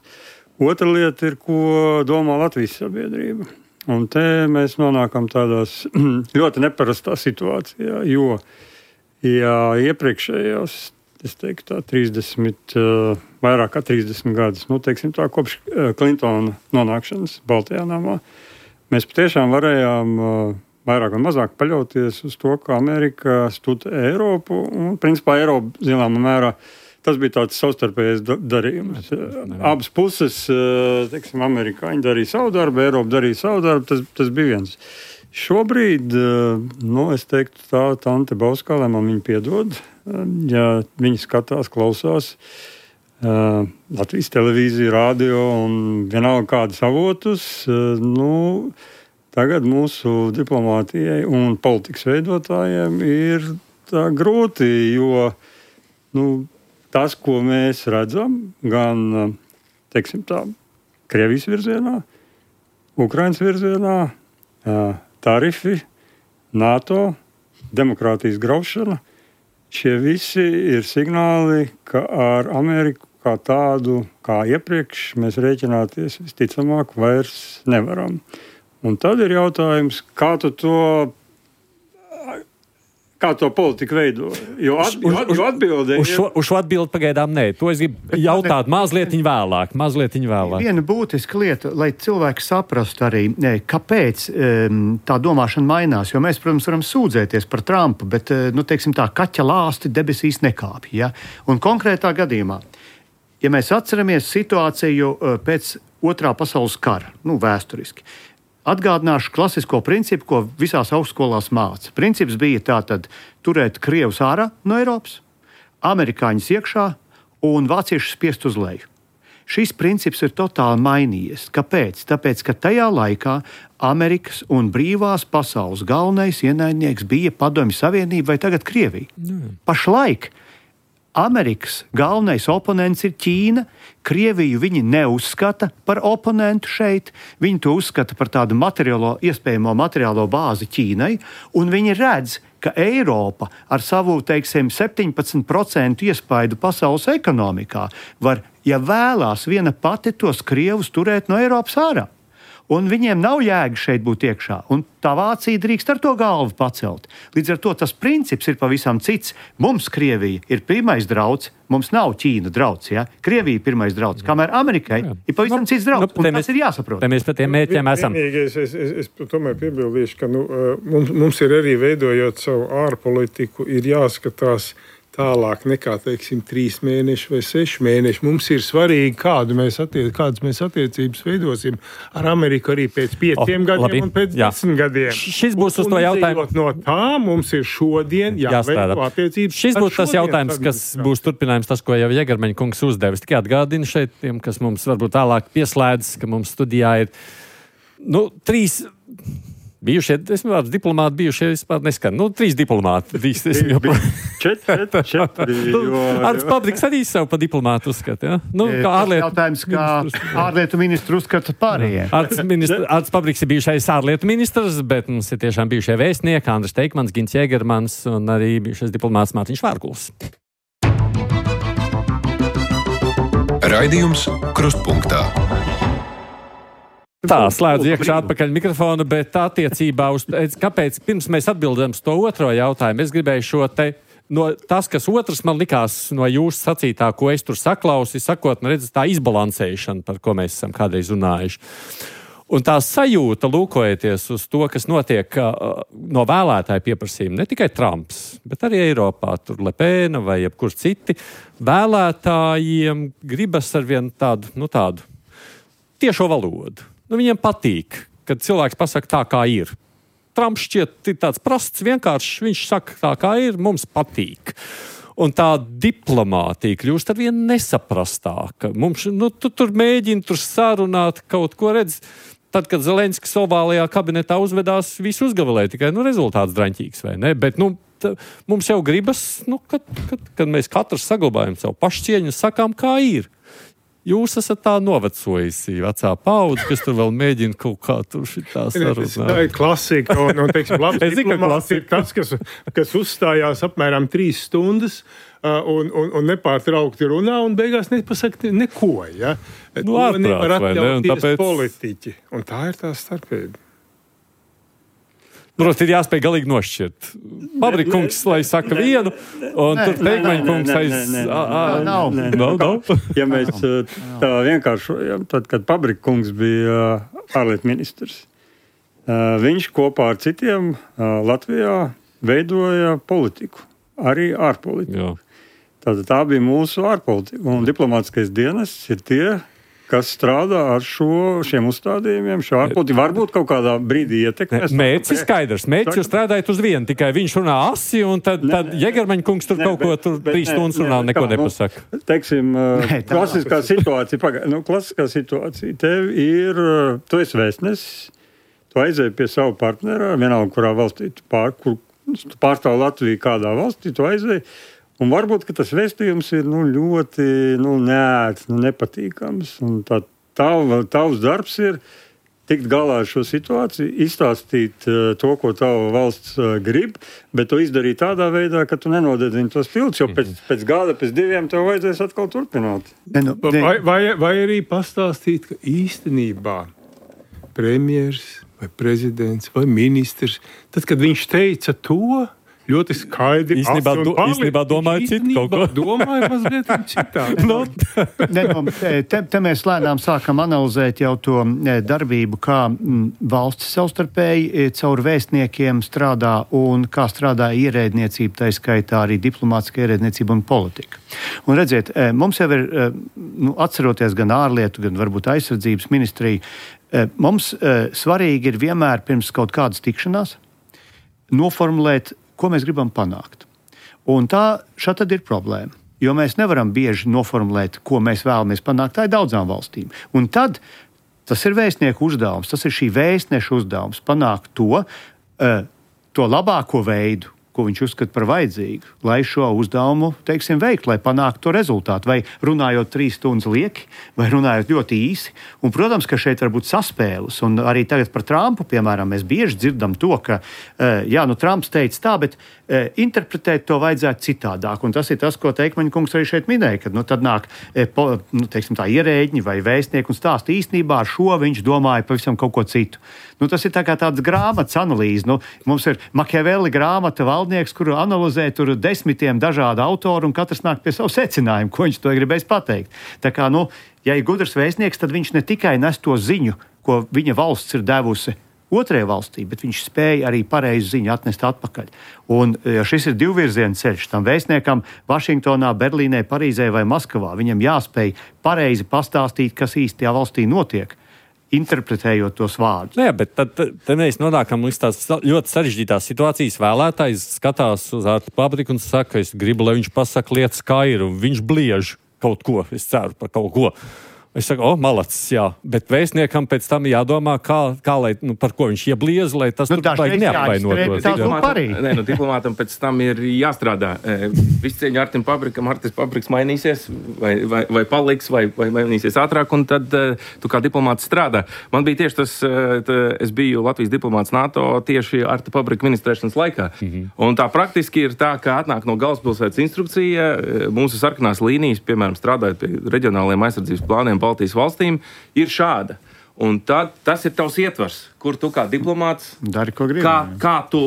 Speaker 6: Otra lieta ir, ko domā Latvijas sabiedrība. Un te mēs nonākam tādās ļoti neparastā situācijā, jo iepriekšējos, es teiktu tā, 30, vairāk kā 30 gadus, teiksim tā, kopš Klintona nonākšanas Baltajā namā, mēs patiešām varējām vairāk un mazāk paļauties uz to, ka Amerika studē Eiropu, un principā Eiropa, zināmā mērā, tas bija tāds savstarpējais darījums. Abas puses, teiksim, amerikāņi darīja savu darbu, Eiropa darīja savu darbu, tas bija viens. Šobrīd, es teiktu tā, Tante Bauskā, lai man viņa piedod, ja viņi skatās, klausās Latvijas televīziju, radio un vienalga kādas avotus, tagad mūsu diplomātijai un politikas veidotājiem ir tā grūti, jo tas, ko mēs redzam, gan, teiksim tā, Krievijas virzienā, Ukrainas virzienā, tarifi, NATO, demokrātijas graušana, šie visi ir signāli, ka ar Ameriku kā tādu, kā iepriekš, mēs rēķināties visticamāk vairs nevaram. Un tad ir jautājums, kā to politiku veido. Jo atbilde
Speaker 2: uz šo atbildi pagaidām nē. To es gribu jautāt mazliet vēlāk.
Speaker 4: Viena būtiska lieta, lai cilvēki saprastu arī, kāpēc tā domāšana mainās. Jo mēs, protams, varam sūdzēties par Trumpu, bet, teiksim tā, kaķa lāsti debesīs nekāpj. Ja? Un konkrētā gadījumā, ja mēs atceramies situāciju pēc Otrā pasaules kara, vēsturiski, atgādināšu klasisko principu, ko visās augstskolās māca. Princips bija tātad turēt krievus ārā no Eiropas, amerikāņus iekšā un vāciešus spiest uz leju. Šis princips ir totāli mainījies. Kāpēc? Tāpēc, ka tajā laikā Amerikas un brīvās pasaules galvenais ienaidnieks bija Padomju Savienība vai tagad Krievija. Pašlaik Amerikas galvenais oponents ir Ķīna. Krieviju viņi neuzskata par oponentu šeit. Viņi to uzskata par tādu iespējamo materiālo bāzi Ķīnai. Un viņi redz, ka Eiropa ar savu, 17% iespaidu pasaules ekonomikā var, ja vēlās, viena pati tos krievus turēt no Eiropas ārā. Un viņiem nav jēga šeit būt iekšā. Un tā Vācija drīkst ar to galvu pacelt. Līdz ar to tas princips ir pavisam cits. Mums Krievija ir pirmais drauds, mums nav Ķīna drauds. Ja? Krievija ir pirmais drauds, kamēr Amerikai ir pavisam cits drauds. Un tas ir jāsaprot.
Speaker 2: Te mēs par tiem mērķiem esam.
Speaker 3: Es tomēr piebildīšu, ka mums ir arī veidojot savu ārpolitiku, ir jāskatās tālāk nekā, 3 mēneši vai 6 mēneši. Mums ir svarīgi, kādas mēs attiecības veidosim ar Ameriku arī pēc 5 gadiem un pēc 10 gadiem.
Speaker 2: Šis būs uz to jautājumu.
Speaker 3: No tā mums ir šodien jāveido attiecības.
Speaker 2: Šis būs tas jautājums, kas būs turpinājums tas, ko jau Jegermaņa kungs uzdevis. Tikai atgādina šeit tiem, kas mums varbūt tālāk pieslēdzas, ka mums studijā ir 3... bijušie, es vārds diplomāti bijušie vispār neskan. 3 diplomāti.
Speaker 6: 4.
Speaker 2: Arts Pabriks arī sev pa diplomātu uzskata, ja?
Speaker 4: Kā ārlietu ministru uzskata pārējie.
Speaker 2: Arts Pabriks ir bijušais ārlietu ministrs, bet mums ir tiešām bijušie vēstnieki Andris Teikmans, Gins Jegermans un arī bijušais diplomāts Mārtiņš Vārguls.
Speaker 1: Raidījums Krustpunktā.
Speaker 2: Tā, slēdz iekšā atpakaļ mikrofonu, bet attiecībā uz, kāpēc pirms mēs atbildam uz to otro jautājumu, es gribēju šo te, tas, kas otrs man likās no jūsu sacītā, ko es tur saklausi, sakot, redz, tā izbalansēšana, par ko mēs esam kādreiz runājuši. Un tā sajūta, lūkojoties uz to, kas notiek no vēlētāju pieprasījuma, ne tikai Trumps, bet arī Eiropā, tur Le Pen vai jebkur citi, vēlētājiem gribas ar vienu tādu tiešo valodu. Viņiem patīk, kad cilvēks pasaka tā, kā ir. Trumps šķiet tāds prasts, vienkāršs, viņš saka tā, kā ir, mums patīk. Un tā diplomātija kļūst ar vien nesaprastāka. Mums, tu tur mēģini sarunāt kaut ko, redz. Tad, kad Zelenskis ovālajā kabinetā uzvedās, visu uzgavilēja, tikai rezultāts draņķīgs, vai ne? Bet, mums jau gribas, kad mēs katrs saglabājam savu pašcieņu un sakām, kā ir. Jūs esat tā novecojusi vecā paudze, kas tur vēl mēģina kaut kā tur šitā sarunāt.
Speaker 3: Tā ir klasika, un teiksim, labs diplomāts ir tas, kas uzstājās apmēram 3 stundas un nepārtraukti runā un beigās nepasaka neko, ja? To nevar atļauties politiķi. Un tā ir tā starpība.
Speaker 2: Protams, ir jāspēj galīgi nošķirt. Pabrika kungs, lai saka vienu, un tur Teikmaņa kungs
Speaker 4: Nav.
Speaker 6: Ja mēs tā vienkāršojam, tad, kad Pabrika kungs bija ārlietu ministrs, viņš kopā ar citiem Latvijā veidoja politiku, arī ārpolitiku. Tātad tā bija mūsu ārpolitika, un diplomātiskais dienests ir tie, kas strādā ar šiem uzstādījumiem, šo ārpolitiku. Varbūt kaut kādā brīdī ietekmēs.
Speaker 2: Mērķis ir skaidrs. Mērķis jūs strādājat uz vienu, tikai viņš runā asi, un tad Jegermaņa kungs tur kaut ko 3 stundas runā un neko nepasaka.
Speaker 6: Teiksim, klasiskā situācija. Tev ir, tu esi vēstnesis, tu aizēji pie savu partnera, vienalga, kurā valstī tu pārstāv Latviju kādā valstī, tu aizēji. Un varbūt, ka tas vēstījums ir ļoti neērts, nepatīkams. Un tavs darbs ir tikt galā ar šo situāciju, izstāstīt to, ko tava valsts grib, bet to izdarīt tādā veidā, ka tu nenodedzini tos tiltus, jo pēc gada, pēc 2 tev vajadzēs atkal turpināt.
Speaker 3: Vai arī pastāstīt, ka īstenībā premjers, vai prezidents, vai ministrs, tad, kad viņš teica to, ļoti skaidri.
Speaker 2: Īstenībā domāju citu kaut ko.
Speaker 3: Domāju mazliet citādi.
Speaker 4: Te mēs lēnām sākam analizēt jau to darbību, kā valsts savstarpēji caur vēstniekiem strādā un kā strādā ierēdniecība, tā skaitā arī diplomātiska ierēdniecība un politika. Un redziet, mums jau ir, atceroties gan ārlietu, gan varbūt aizsardzības ministriju, mums svarīgi ir vienmēr pirms kaut kādas tikšanās noformulēt, ko mēs gribam panākt. Un šādi tad ir problēma. Jo mēs nevaram bieži noformulēt, ko mēs vēlamies panākt. Tā ir daudzām valstīm. Un tad tas ir vēstnieku uzdevums, tas ir šī vēstneša uzdevums panākt to labāko veidu, ko viņš uzskata par vajadzīgu, lai šo uzdevumu, veikt, lai panāktu to rezultātu. Vai runājot 3 stundas lieki, vai runājot ļoti īsi. Un, protams, ka šeit var būt saspēles. Un arī tagad par Trumpu, piemēram, mēs bieži dzirdam to, ka, Trumps teica tā, bet interpretēt to vajadzētu citādāk. Un tas ir tas, ko Teikmaņa kungs arī šeit minēja, kad tad nāk tā ierēģi vai vēstnieki un stāsta īstenībā ar šo viņš domāja pavisam kaut ko citu. Tas ir tā kā tāds grāmatas analīze. Mums ir Machiavelli grāmata valdnieks, kuru analizē tur 10 dažādu autoru un katrs nāk pie savu secinājumu, ko viņš to gribēs pateikt. Tā kā, ja ir gudrs vēstnieks, tad viņš ne tikai nes to ziņu, ko viņa valsts ir devusi otrajai valstī, bet viņš spēja arī pareizu ziņu atnest atpakaļ. Un šis ir divvirziena ceļš. Tam vēstniekam Vašingtonā, Berlīnē, Parīzē vai Maskavā viņam jāspēj pareizi pastāstīt, kas īsti tajā valstī notiek, interpretējot tos vārdus.
Speaker 2: Jā, bet tad mēs nonākam līdz tās ļoti sarežģītās situācijas. Vēlētājs skatās uz Artu Pabriku un saka, es gribu, lai viņš pasaka lietas skaidru, un viņš bliež kaut ko, es ceru par kaut ko. Es saku, malacis, jā, bet vēstniekam pēc tam jādomā, kā lai, par ko viņš iebliez, lai tas neapvainotos.
Speaker 5: Diplomātam pēc tam ir jāstrādā. Viss cieņa Artim Pabrikam, Artis Pabriks mainīsies, vai paliks, vai mainīsies ātrāk, un tad tu kā diplomāts strādā. Man bija tieši tas, es biju Latvijas diplomāts NATO tieši Arta Pabrika ministrēšanas laikā. Un tā praktiski ir tā, ka atnāk no galvaspilsētas instrukcija, mūsu sarkanās līnijas, piemēram, strādājot pie reģionāliem aizsardzības plāniem Baltijas valstīm, ir šāda. Un tad tas ir tavs ietvars, kur tu kā diplomāts
Speaker 4: dari, ko gribi.
Speaker 5: Kā tu,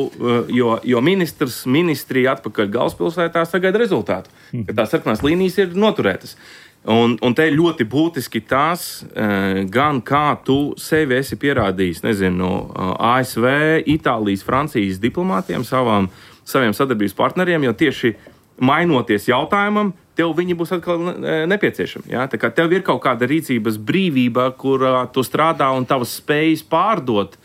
Speaker 5: jo ministrija atpakaļ galvaspilsētā sagaida rezultātu, ka tās sarkanās līnijas ir noturētas. Un te ir ļoti būtiski tās, gan kā tu sevi esi pierādījis, ASV, Itālijas, Francijas diplomātiem, saviem sadarbības partneriem, jo tieši mainoties jautājumam, tev viņi būs atkal nepieciešami. Ja? Tā kā tev ir kaut kāda rīcības brīvība, kur tu strādā un tavas spējas pārdot.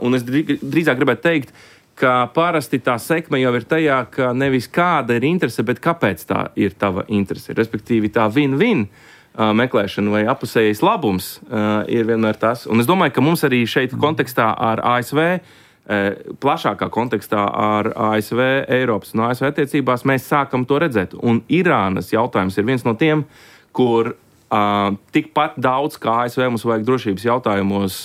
Speaker 5: Un es drīzāk gribētu teikt, ka parasti tā sekme jau ir tajā, ka nevis kāda ir interese, bet kāpēc tā ir tava interese. Respektīvi tā win-win meklēšana vai apusējais labums ir vienmēr tas. Un es domāju, ka mums arī šeit kontekstā ar ASV, plašākā kontekstā ar ASV, Eiropas un ASV attiecībās, mēs sākam to redzēt. Un Irānas jautājums ir viens no tiem, kur tikpat daudz kā ASV mums vajag drošības jautājumos,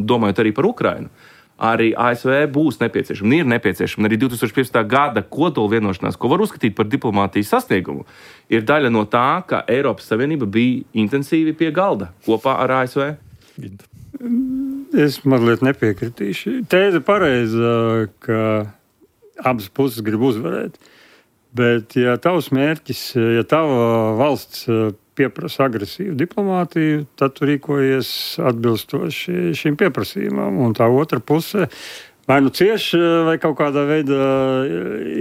Speaker 5: domājot arī par Ukrainu. Arī ASV būs nepieciešama, ir nepieciešama. Arī 2015. gada kodola vienošanās, ko var uzskatīt par diplomātijas sasniegumu, ir daļa no tā, ka Eiropas Savienība bija intensīvi pie galda kopā ar ASV.
Speaker 6: Es mazliet nepiekritīšu. Tēze pareiza, ka abas puses grib uzvarēt. Bet, ja tavs mērķis, ja tava valsts pieprasa agresīvu diplomātiju, tad tu rīkojies atbilstoši šim pieprasījumam. Un tā otra puse vai cieši, vai kaut kādā veidā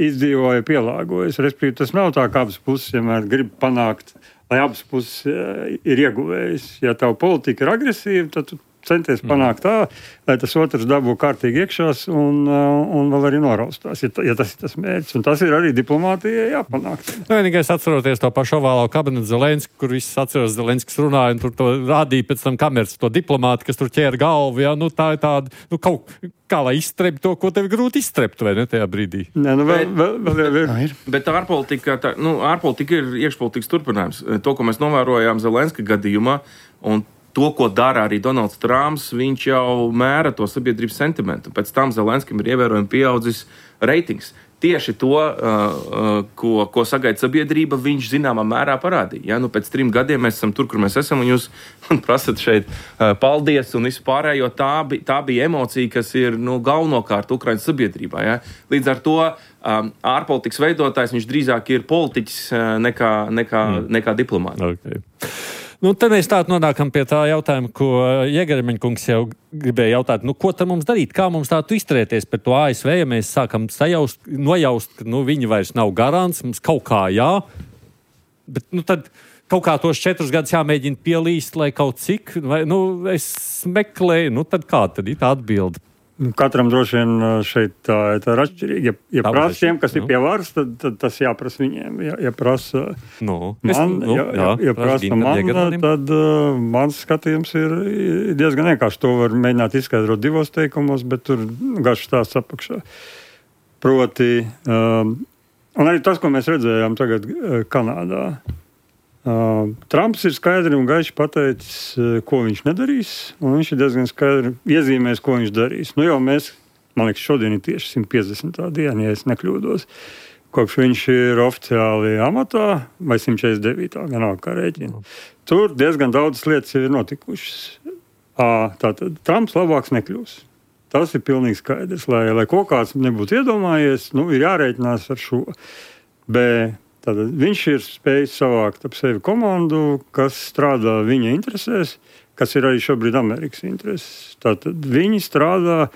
Speaker 6: izdzīvoja, pielāgojas. Respektīvi, tas nav tā, ka abas puses vienmēr grib panākt, lai abas puses ir ieguvējis. Ja tava politika ir agresīva, tad tu centies panākt tā, lai tas otrs dabū kārtīgi iekšās un vēl arī noraustās, ja tas ir tas mērķis. Un tas ir arī diplomātijai jāpanāk.
Speaker 2: Vienīgais atceroties to pašu ovālo kabinetu Zelenski, kur viss atceros Zelenskis runāja un tur to rādīja pēc tam kameras, to diplomāti, kas tur ķēra galvu. Ja? Tā ir tāda, kaut kā lai izstrept to, ko tev grūti izstrept, vai ne, tajā brīdī?
Speaker 6: Nē, vēl ir.
Speaker 5: Bet ārpolitika ir iekšpolitikas turpinājums. To, ko mēs novērojām Zelenska gadījumā, un to, ko dara arī Donalds Trumps, viņš jau mēra to sabiedrības sentimentu. Pēc tam Zelenskim ir ievērojami pieaudzis reitings. tieši to, ko sagaida sabiedrība, viņš zināmā mērā parādīja. Ja? Nu, pēc 3 gadiem mēs esam tur, kur mēs esam, un jūs man prasat šeit paldies un vispārējo. Tā bija emocija, kas ir galvenokārt Ukrainas sabiedrībā. Ja? Līdz ar to ārpolitikas veidotājs viņš drīzāk ir politiķis nekā diplomāts.
Speaker 2: Okay. Te mēs tādu nonākam pie tā jautājuma, ko Jēgermeņa kungs jau gribēja jautāt. Ko tad mums darīt? Kā mums tādu izturēties pret to ASV, ja mēs sākam nojaust, ka viņi vairs nav garants, mums kaut kā jā, bet tad kaut kā tos 4 gadus jāmēģina pielīst, lai kaut cik, vai, es meklēju, tad kā tad ir tā atbilde?
Speaker 6: Katram droši vien šeit tā ir atšķirīga. Ja prasa tiem, kas ir pie varas, tad tas jāprasa viņiem. Ja prasa prasa man, tad mans skatījums ir diezgan vienkārši. To var mēģināt izskaidrot 2 teikumos, bet tur garš stāsts apakšā. Proti, un arī tas, ko mēs redzējām tagad Kanādā. Trumps ir skaidri un gaiši pateicis, ko viņš nedarīs, un viņš ir diezgan skaidri iezīmējis, ko viņš darīs. Jau mēs, man liekas, šodien ir tieši 150. diena, ja es nekļūdos, kopš viņš ir oficiāli amatā, vai 149. gan kā rēķina. Tur diezgan daudz lietas ir notikušas. Tātad Trumps labāks nekļūs. Tas ir pilnīgi skaidrs, lai kaut kāds nebūtu iedomājies, ir jārēķinās ar šo. Tātad viņš ir spējis savākt ap sevi komandu, kas strādā viņa interesēs, kas ir arī šobrīd Amerikas intereses. Tātad viņi strādā,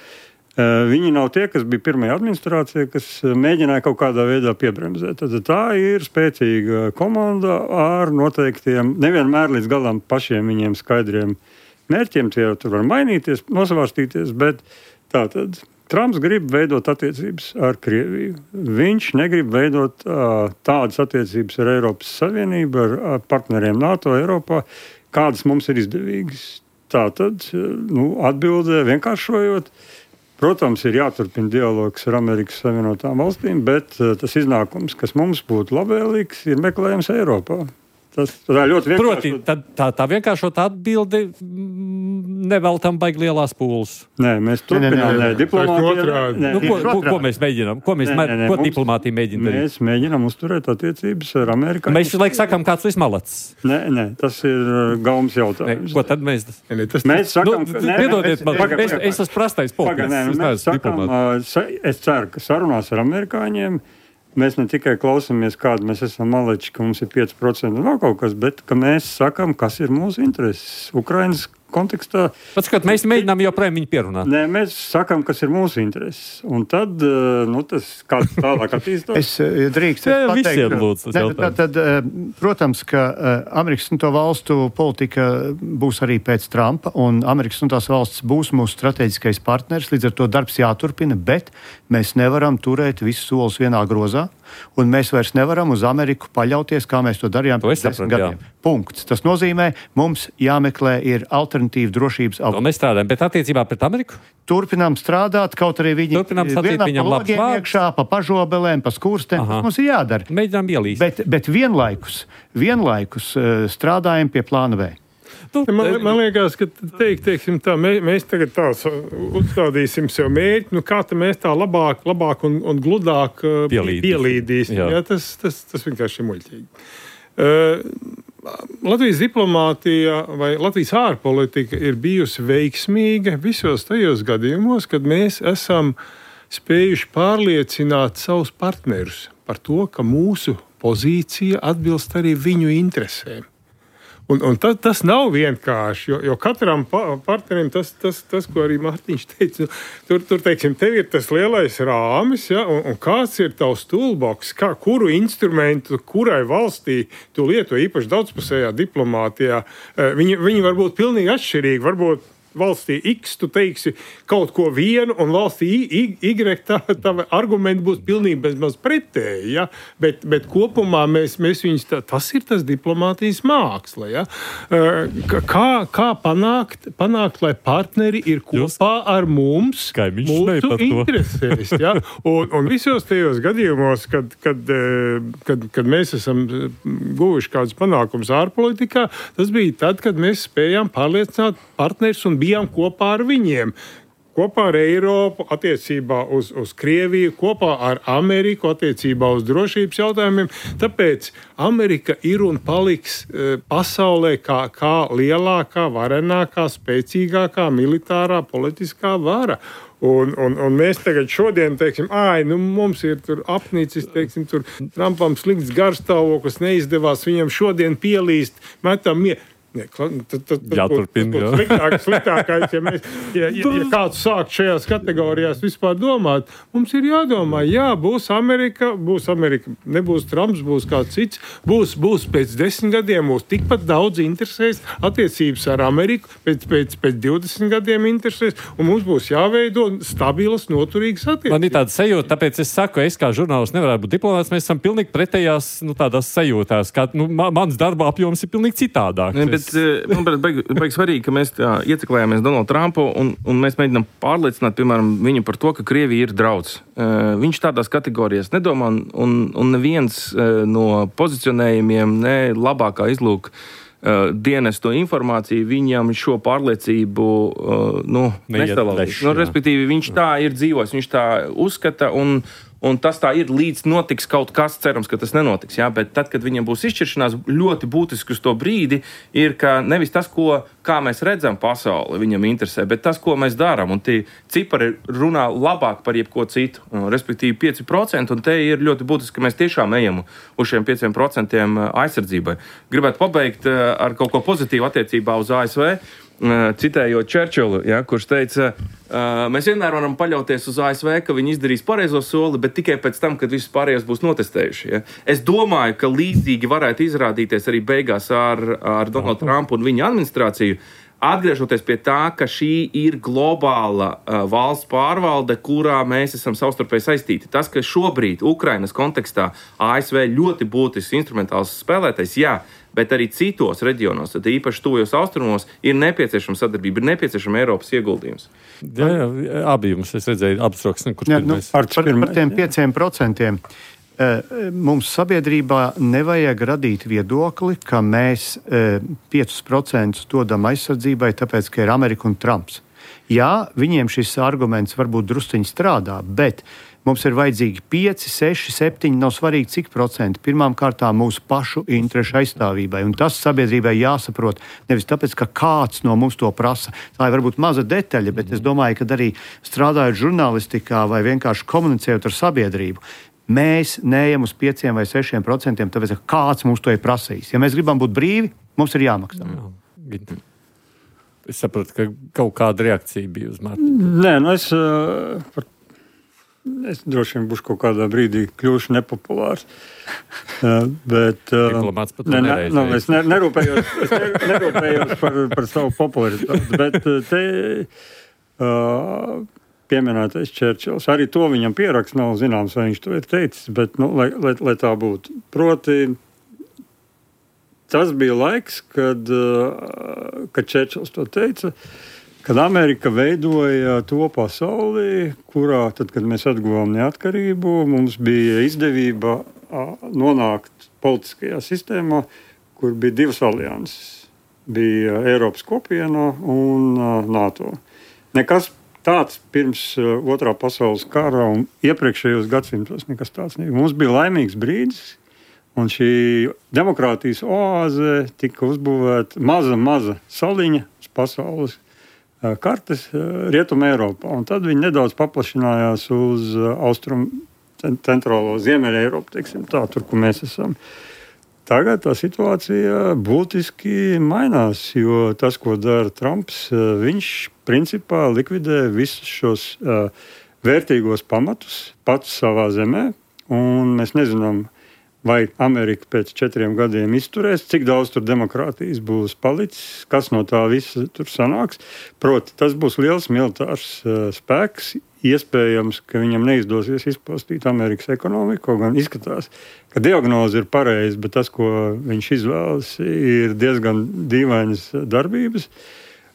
Speaker 6: viņi nav tie, kas bija pirmajā administrācijā, kas mēģināja kaut kādā veidā piebremzēt. Tātad tā ir spēcīga komanda ar noteiktiem, nevienmēr līdz galam pašiem viņiem skaidriem mērķiem, tie tur var mainīties, nosvārstīties, bet tātad Trumps grib veidot attiecības ar Krieviju. Viņš negrib veidot tādas attiecības ar Eiropas Savienību, ar partneriem NATO, Eiropā, kādas mums ir izdevīgas. Tātad, atbildē vienkāršojot, protams, ir jāturpina dialogs ar Amerikas Savienotām valstīm, bet tas iznākums, kas mums būtu labvēlīgs, ir meklējams Eiropā. Tas ļoti vienkārši.
Speaker 2: Proti, tā vienkāršot atbildi neveltam baigi lielās pūles.
Speaker 6: Nē, mēs turpinām.
Speaker 2: Ko mēs mēģinām? Ko diplomātija mēģina darīt?
Speaker 6: Mēs mēģinām uzturēt attiecības ar Amerikāņiem.
Speaker 2: Mēs laik sakām, kāds viss malacis.
Speaker 6: Nē, tas ir gaums jautājums.
Speaker 2: Ko tad mēs?
Speaker 6: Mēs sakām,
Speaker 2: piedodiet man, es esmu prastais politiķis.
Speaker 6: Es ceru, ka sarunās ar amerikāņiem mēs ne tikai klausāmies, kādi mēs esam maleči, ka mums ir 5% un vēl kaut kas, bet ka mēs sakam, kas ir mūsu intereses. Ukrainas kontekstā.
Speaker 2: Pats, kad mēs mēģinām joprojām viņu pierunāt.
Speaker 6: Nē, mēs sakam, kas ir mūsu intereses. Un tad, tas kāds tālāk attīstās.
Speaker 4: Es drīkst pateikt. Protams, ka Amerikas un to valstu politika būs arī pēc Trumpa, un Amerikas un tās valsts būs mūsu strateģiskais partners, līdz ar to darbs jāturpina, bet mēs nevaram turēt visus solus vienā grozā, un mēs vairs nevaram uz Ameriku paļauties, kā mēs to darījām pēc 10 gadiem. Punkts. Tas nozīmē, mums jāmeklē ir alternatīva drošības avoti.
Speaker 2: Mēs strādājam, bet attiecībā pret Ameriku?
Speaker 4: Turpinām strādāt, kaut arī viņi
Speaker 2: viņam labs vārds.
Speaker 4: Iekšā, pa pažobelēm, pa skurstēm, tas mums ir jādara.
Speaker 2: Mēģinām ielīst.
Speaker 4: Bet vienlaikus strādājam pie plāna B.
Speaker 3: Man liekas, ka teiksim tā, mēs tagad tā uzstādīsim sev mērķi, kā mēs tā labāk un gludāk pielīdīsim. Jā, tas vienkārši ir muļķīgi. Latvijas diplomātija vai Latvijas ārpolitika ir bijusi veiksmīga visos tajos gadījumos, kad mēs esam spējuši pārliecināt savus partnerus par to, ka mūsu pozīcija atbilst arī viņu interesēm. Un tas nav vienkārši, jo katram partnerim tas, ko arī Mārtiņš teica, tur teiksim, tev ir tas lielais rāmis, ja, un kāds ir tavs toolbox, kuru instrumentu, kurai valstī tu lieto īpaši daudzpusējā diplomātijā, viņi var būt pilnīgi atšķirīgi, varbūt valstī X tu teiksi kaut ko vienu, un valstī Y tava argumenti būs pilnīgi bezmaz pretēji, ja? Bet kopumā mēs viņus, tas ir tas diplomātijas māksla, ja? Kā panākt, lai partneri ir kopā ar mums, mūsu interesēs, ja? Un visos tajos gadījumos, kad mēs esam guvuši kādus panākumus ārpolitikā, tas bija tad, kad mēs spējām pārliecināt partnerus un bijām kopā ar viņiem. kopā ar Eiropu attiecībā uz Krieviju, kopā ar Ameriku attiecībā uz drošības jautājumiem. Tāpēc Amerika ir un paliks pasaulē kā lielākā, varenākā, spēcīgākā militārā politiskā vara. Un mēs tagad šodien teiksim, mums ir tur apnicis, teiksim, tur Trumpam slikts garstāvoklis, neizdevās viņam šodien pielīst, metam Sliktākais, ja kāds sāk šajās kategorijās vispār domāt, mums ir jādomā, būs Amerika, nebūs Trumps, būs kāds cits, būs pēc 10 gadiem, mūs tikpat daudz interesēs attiecības ar Ameriku, pēc 20 gadiem interesēs, un mums būs jāveido stabilas, noturīgas attiecības.
Speaker 2: Man ir tāda sajūta, tāpēc es saku, es kā žurnālists nevarētu būt diplomāts, mēs esam pilnīgi pretējās, tādās sajūtās, kā, mans darba apjoms ir pilnīgi citādāk.
Speaker 5: Manuprāt, baigi svarīgi, ka mēs ieceklējāmies Donaldu Trumpu un mēs mēģinām pārliecināt, piemēram, viņu par to, ka Krievija ir drauds. Viņš tādās kategorijās nedomā un neviens no pozicionējumiem, ne labākā izlūka dienestu informāciju viņam šo pārliecību nestalādīs. Respektīvi, viņš tā ir dzīvojis, viņš tā uzskata un tas tā ir, līdz notiks kaut kas, cerams, ka tas nenotiks. Jā? Bet tad, kad viņam būs izšķiršanās, ļoti būtiski uz to brīdi ir, ka nevis tas, kā mēs redzam pasauli, viņam interesē, bet tas, ko mēs darām. Un tie cipari runā labāk par jebko citu, respektīvi 5%, un te ir ļoti būtiski, ka mēs tiešām ejam uz šiem 5% aizsardzībai. Gribētu pabeigt ar kaut ko pozitīvu attiecībā uz ASV. Citējot Čerčilu, kurš teica, mēs vienmēr varam paļauties uz ASV, ka viņi izdarīs pareizo soli, bet tikai pēc tam, kad visus pārējos būs notestējuši. Ja? Es domāju, ka līdzīgi varētu izrādīties arī beigās ar Donaldu Trumpu un viņa administrāciju, atgriežoties pie tā, ka šī ir globāla valsts pārvalde, kurā mēs esam savstarpēji saistīti. Tas, ka šobrīd Ukrainas kontekstā ASV ļoti būtisks instrumentāls spēlētais, bet arī citos reģionos, tad īpaši tuvajos austrumos, ir nepieciešama sadarbība, ir nepieciešama Eiropas ieguldījums.
Speaker 2: Jā, abi jums, es redzēju, abas rokas, kurš pirmais.
Speaker 4: Par tiem 5%. Mums sabiedrībā nevajag radīt viedokli, ka mēs 5% dodam aizsardzībai, tāpēc, ka ir Amerika un Trumps. Jā, viņiem šis arguments varbūt drusciņi strādā, bet mums ir vajadzīgi 5, 6, 7, nav svarīgi cik procenti. Pirmām kārtām mūsu pašu interešu aizstāvībai. Un tas sabiedrībai jāsaprot nevis tāpēc, ka kāds no mums to prasa. Tā ir varbūt maza detaļa, bet es domāju, ka arī strādājot žurnālistikā vai vienkārši komunicējot ar sabiedrību, mēs neejam uz 5 vai 6%, tāpēc, ka kāds mums to ir prasījis. Ja mēs gribam būt brīvi, mums ir jāmaksā.
Speaker 2: Es saprotu, ka kaut kāda reakcija bija uz Mārtiņu.
Speaker 6: Nē, es droši vien būšu kaut kādā brīdī kļūšu nepopulārs. Bet
Speaker 2: diplomāts pat nereizējas.
Speaker 6: Es nerūpējos par savu popularitāti, bet te pieminētais Čerčils. Arī to viņam pieraksts nav zināms, vai viņš to ir teicis, bet lai tā būtu. Proti, tas bija laiks, kad Čerčils to teica, kad Amerika veidoja to pasauli, kurā, tad, kad mēs atguvām neatkarību, mums bija izdevība nonākt politiskajā sistēmā, kur bija divas alianses. Bija Eiropas kopiena un NATO. Nekas tāds pirms Otrā pasaules kara un iepriekšējos gadsimtos nekas tāds nebija. Mums bija laimīgs brīdis, un šī demokrātijas oāze tika uzbūvēta maza saliņa uz pasaules kartes Rietumē Eiropā. Un tad viņi nedaudz paplašinājās uz austrumu centrālo Ziemeļa Eiropu, teiksim tā, tur, kur mēs esam. Tagad tā situācija būtiski mainās, jo tas, ko dara Trumps, viņš principā likvidē visus šos vērtīgos pamatus pats savā zemē, un mēs nezinām, vai Amerika pēc 4 gadiem izturēs, cik daudz tur demokrātijas būs palicis, kas no tā visa tur sanāks. Proti, tas būs liels militārs spēks, iespējams, ka viņam neizdosies izpostīt Amerikas ekonomiku, gan izskatās, ka diagnoze ir pareiza, bet tas, ko viņš izvēlas, ir diezgan dīvainas darbības.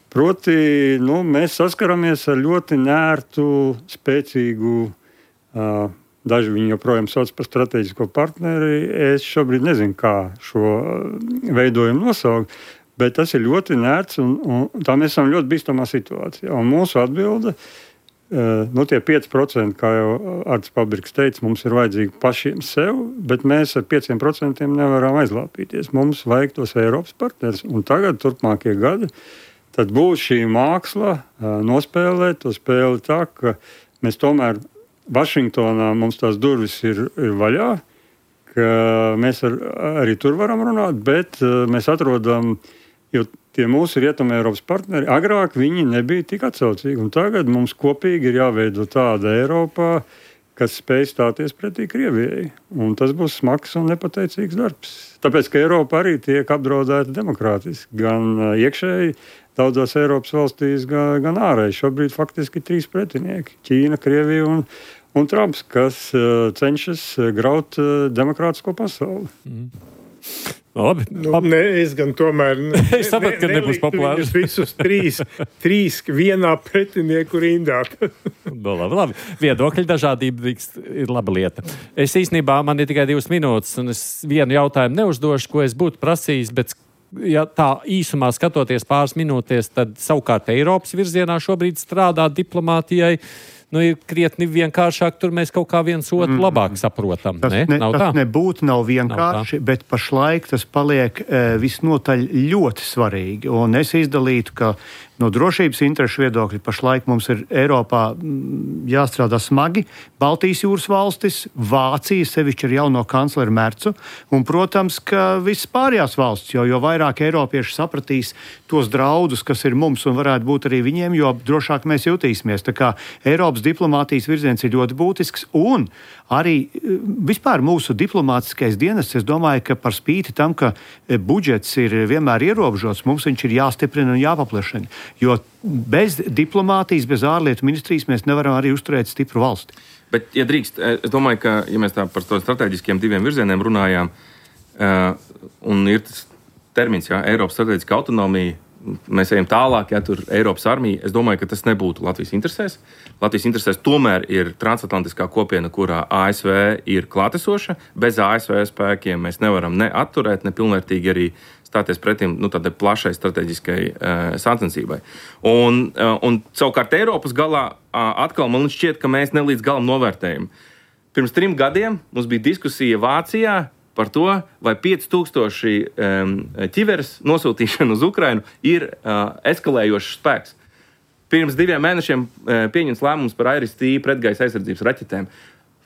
Speaker 6: Proti, mēs saskaramies ar ļoti nērtu, spēcīgu, daži viņu joprojām sauc par strateģisko partneri. Es šobrīd nezinu, kā šo veidojumu nosaukt, Bet tas ir ļoti nērts, un tā mēs esam ļoti bīstamā situācijā. Un mūsu atbilde, tie 5%, kā jau Arts Pabriks teica, mums ir vajadzīgi pašiem sev, bet mēs ar 5% nevaram aizlāpīties. Mums vajag tos Eiropas partners, un tagad, turpmākie gadi, tad būs šī māksla nospēlēt to spēli tā, ka mēs tomēr Vašingtonā mums tās durvis ir vaļā, ka mēs arī tur varam runāt, bet mēs atrodam, jo tie mūsu Rietumē Eiropas partneri, agrāk viņi nebija tik atsaucīgi, un tagad mums kopīgi ir jāveido tāda Eiropā, kas spēj stāties pretī Krievijai. Un tas būs smags un nepateicīgs darbs. Tāpēc, ka Eiropa arī tiek apdraudēta demokrātiski, gan iekšēji daudzās Eiropas valstīs, gan ārēji. Šobrīd faktiski 3 pretinieki - Ķīna, Krievija un Trumps, kas cenšas graut demokrātisko pasauli.
Speaker 2: Labi.
Speaker 3: Es gan tomēr
Speaker 2: es sapratu, ka nebūs populāri.
Speaker 3: Visus trīs vienā pretinieku rindā.
Speaker 2: Labi. Viedokļu dažādība ir laba lieta. Es īstenībā, man ir tikai 2 minūtes, un es vienu jautājumu neuzdošu, ko es būtu prasījis, bet ja tā īsumā skatoties pāris minūtēs, tad savukārt Eiropas virzienā šobrīd strādā diplomātijai. Ir krietni vienkāršāk, tur mēs kaut kā viens otru labāk saprotam.
Speaker 4: Tas nebūtu nav vienkārši, bet pašlaik tas paliek visnotaļ ļoti svarīgi. Un es izdalītu, ka no drošības interešu viedokļa pašlaik mums ir Eiropā jāstrādā smagi. Baltijas jūras valstis, Vācija sevišķi ar jauno kancleru Mercu, un, protams, ka viss pārējās valstis, jo vairāk eiropieši sapratīs tos draudus, kas ir mums un varētu būt arī viņiem, jo drošāk mēs jutīsimies. Tā kā Eiropas diplomātijas virziens ir ļoti būtisks, un arī vispār mūsu diplomātiskais dienests, es domāju, ka par spīti tam, ka budžets ir vienmēr ierobežots, mums viņš ir jāstiprina un jāpaplašina. Jo bez diplomātijas, bez ārlietu ministrijas mēs nevaram arī uzturēt stipru valsti.
Speaker 5: Bet, ja drīkst, es domāju, ka, ja mēs tā par to strateģiskiem 2 virzieniem runājām, un ir tas termins, Eiropas strateģiska autonomija, mēs ejam tālāk, tur Eiropas armija, es domāju, ka tas nebūtu Latvijas interesēs. Latvijas interesēs tomēr ir transatlantiskā kopiena, kurā ASV ir klātesoša. Bez ASV spēkiem mēs nevaram ne atturēt, ne pilnvērtīgi arī stāties pretim tādai plašai strateģiskai sacensībai. Un savukārt Eiropas galā atkal man šķiet, ka mēs nelīdz galam novērtējam. Pirms 3 gadiem mums bija diskusija Vācijā par to, vai 5000 ķiveres nosūtīšana uz Ukrainu ir eskalējošs spēks. Pirms 2 mēnešiem pieņems lēmums par IRIS-T pretgaisa aizsardzības raķetēm.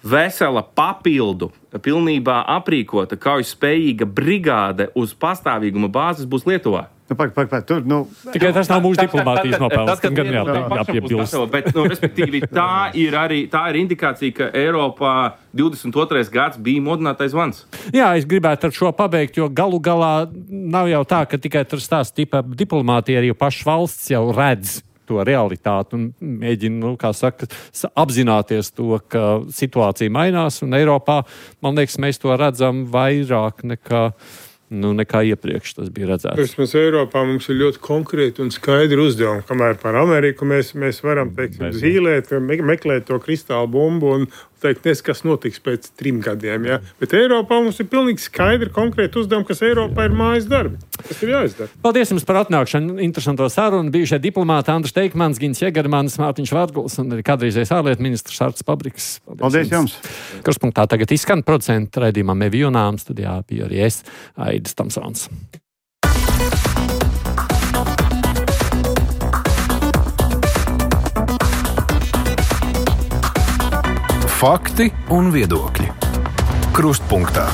Speaker 5: Vesela papildu, pilnībā aprīkota, kaujaspējīga brigāde uz pastāvīguma bāzes būs Lietuvā.
Speaker 2: Tikai tas nav mūsu diplomātijas nopelns.
Speaker 5: Bet, respektīvi, tā ir indikācija, ka Eiropā 22. gads bija modinātais zvans.
Speaker 2: Jā, es gribētu ar šo pabeigt, jo galu galā nav jau tā, ka tikai tur stāsta tipa diplomātija, arī pašas valsts jau redz to realitāti un mēģina, apzināties to, ka situācija mainās, un Eiropā, man liekas, mēs to redzam vairāk nekā iepriekš tas bija redzēts.
Speaker 3: Mēs Eiropā mums ir ļoti konkrēti un skaidri uzdevumi, kamēr par Ameriku mēs varam, zīlēt, meklēt to kristālu bumbu un teikt, kas notiks pēc 3 gadiem. Ja? Bet Eiropā mums ir pilnīgi skaidri konkrēti uzdevumi, kas Eiropā ir mājas darbi. Tas ir jāizdara.
Speaker 2: Paldies jums par atnākšanu, interesanto sarunu. Bijušie diplomāti Andris Teikmans, Gins Jegermanis, Mārtiņš Vārguls un arī kādreizējais ārlietu ministrs Arts Pabriks.
Speaker 4: Paldies jums!
Speaker 2: Kruspunktā tagad izskan producentu raidījumā Mevi Junām, studijā bija arī es, Aidis Tamsons.
Speaker 1: Fakti un viedokļi. Krustpunktā.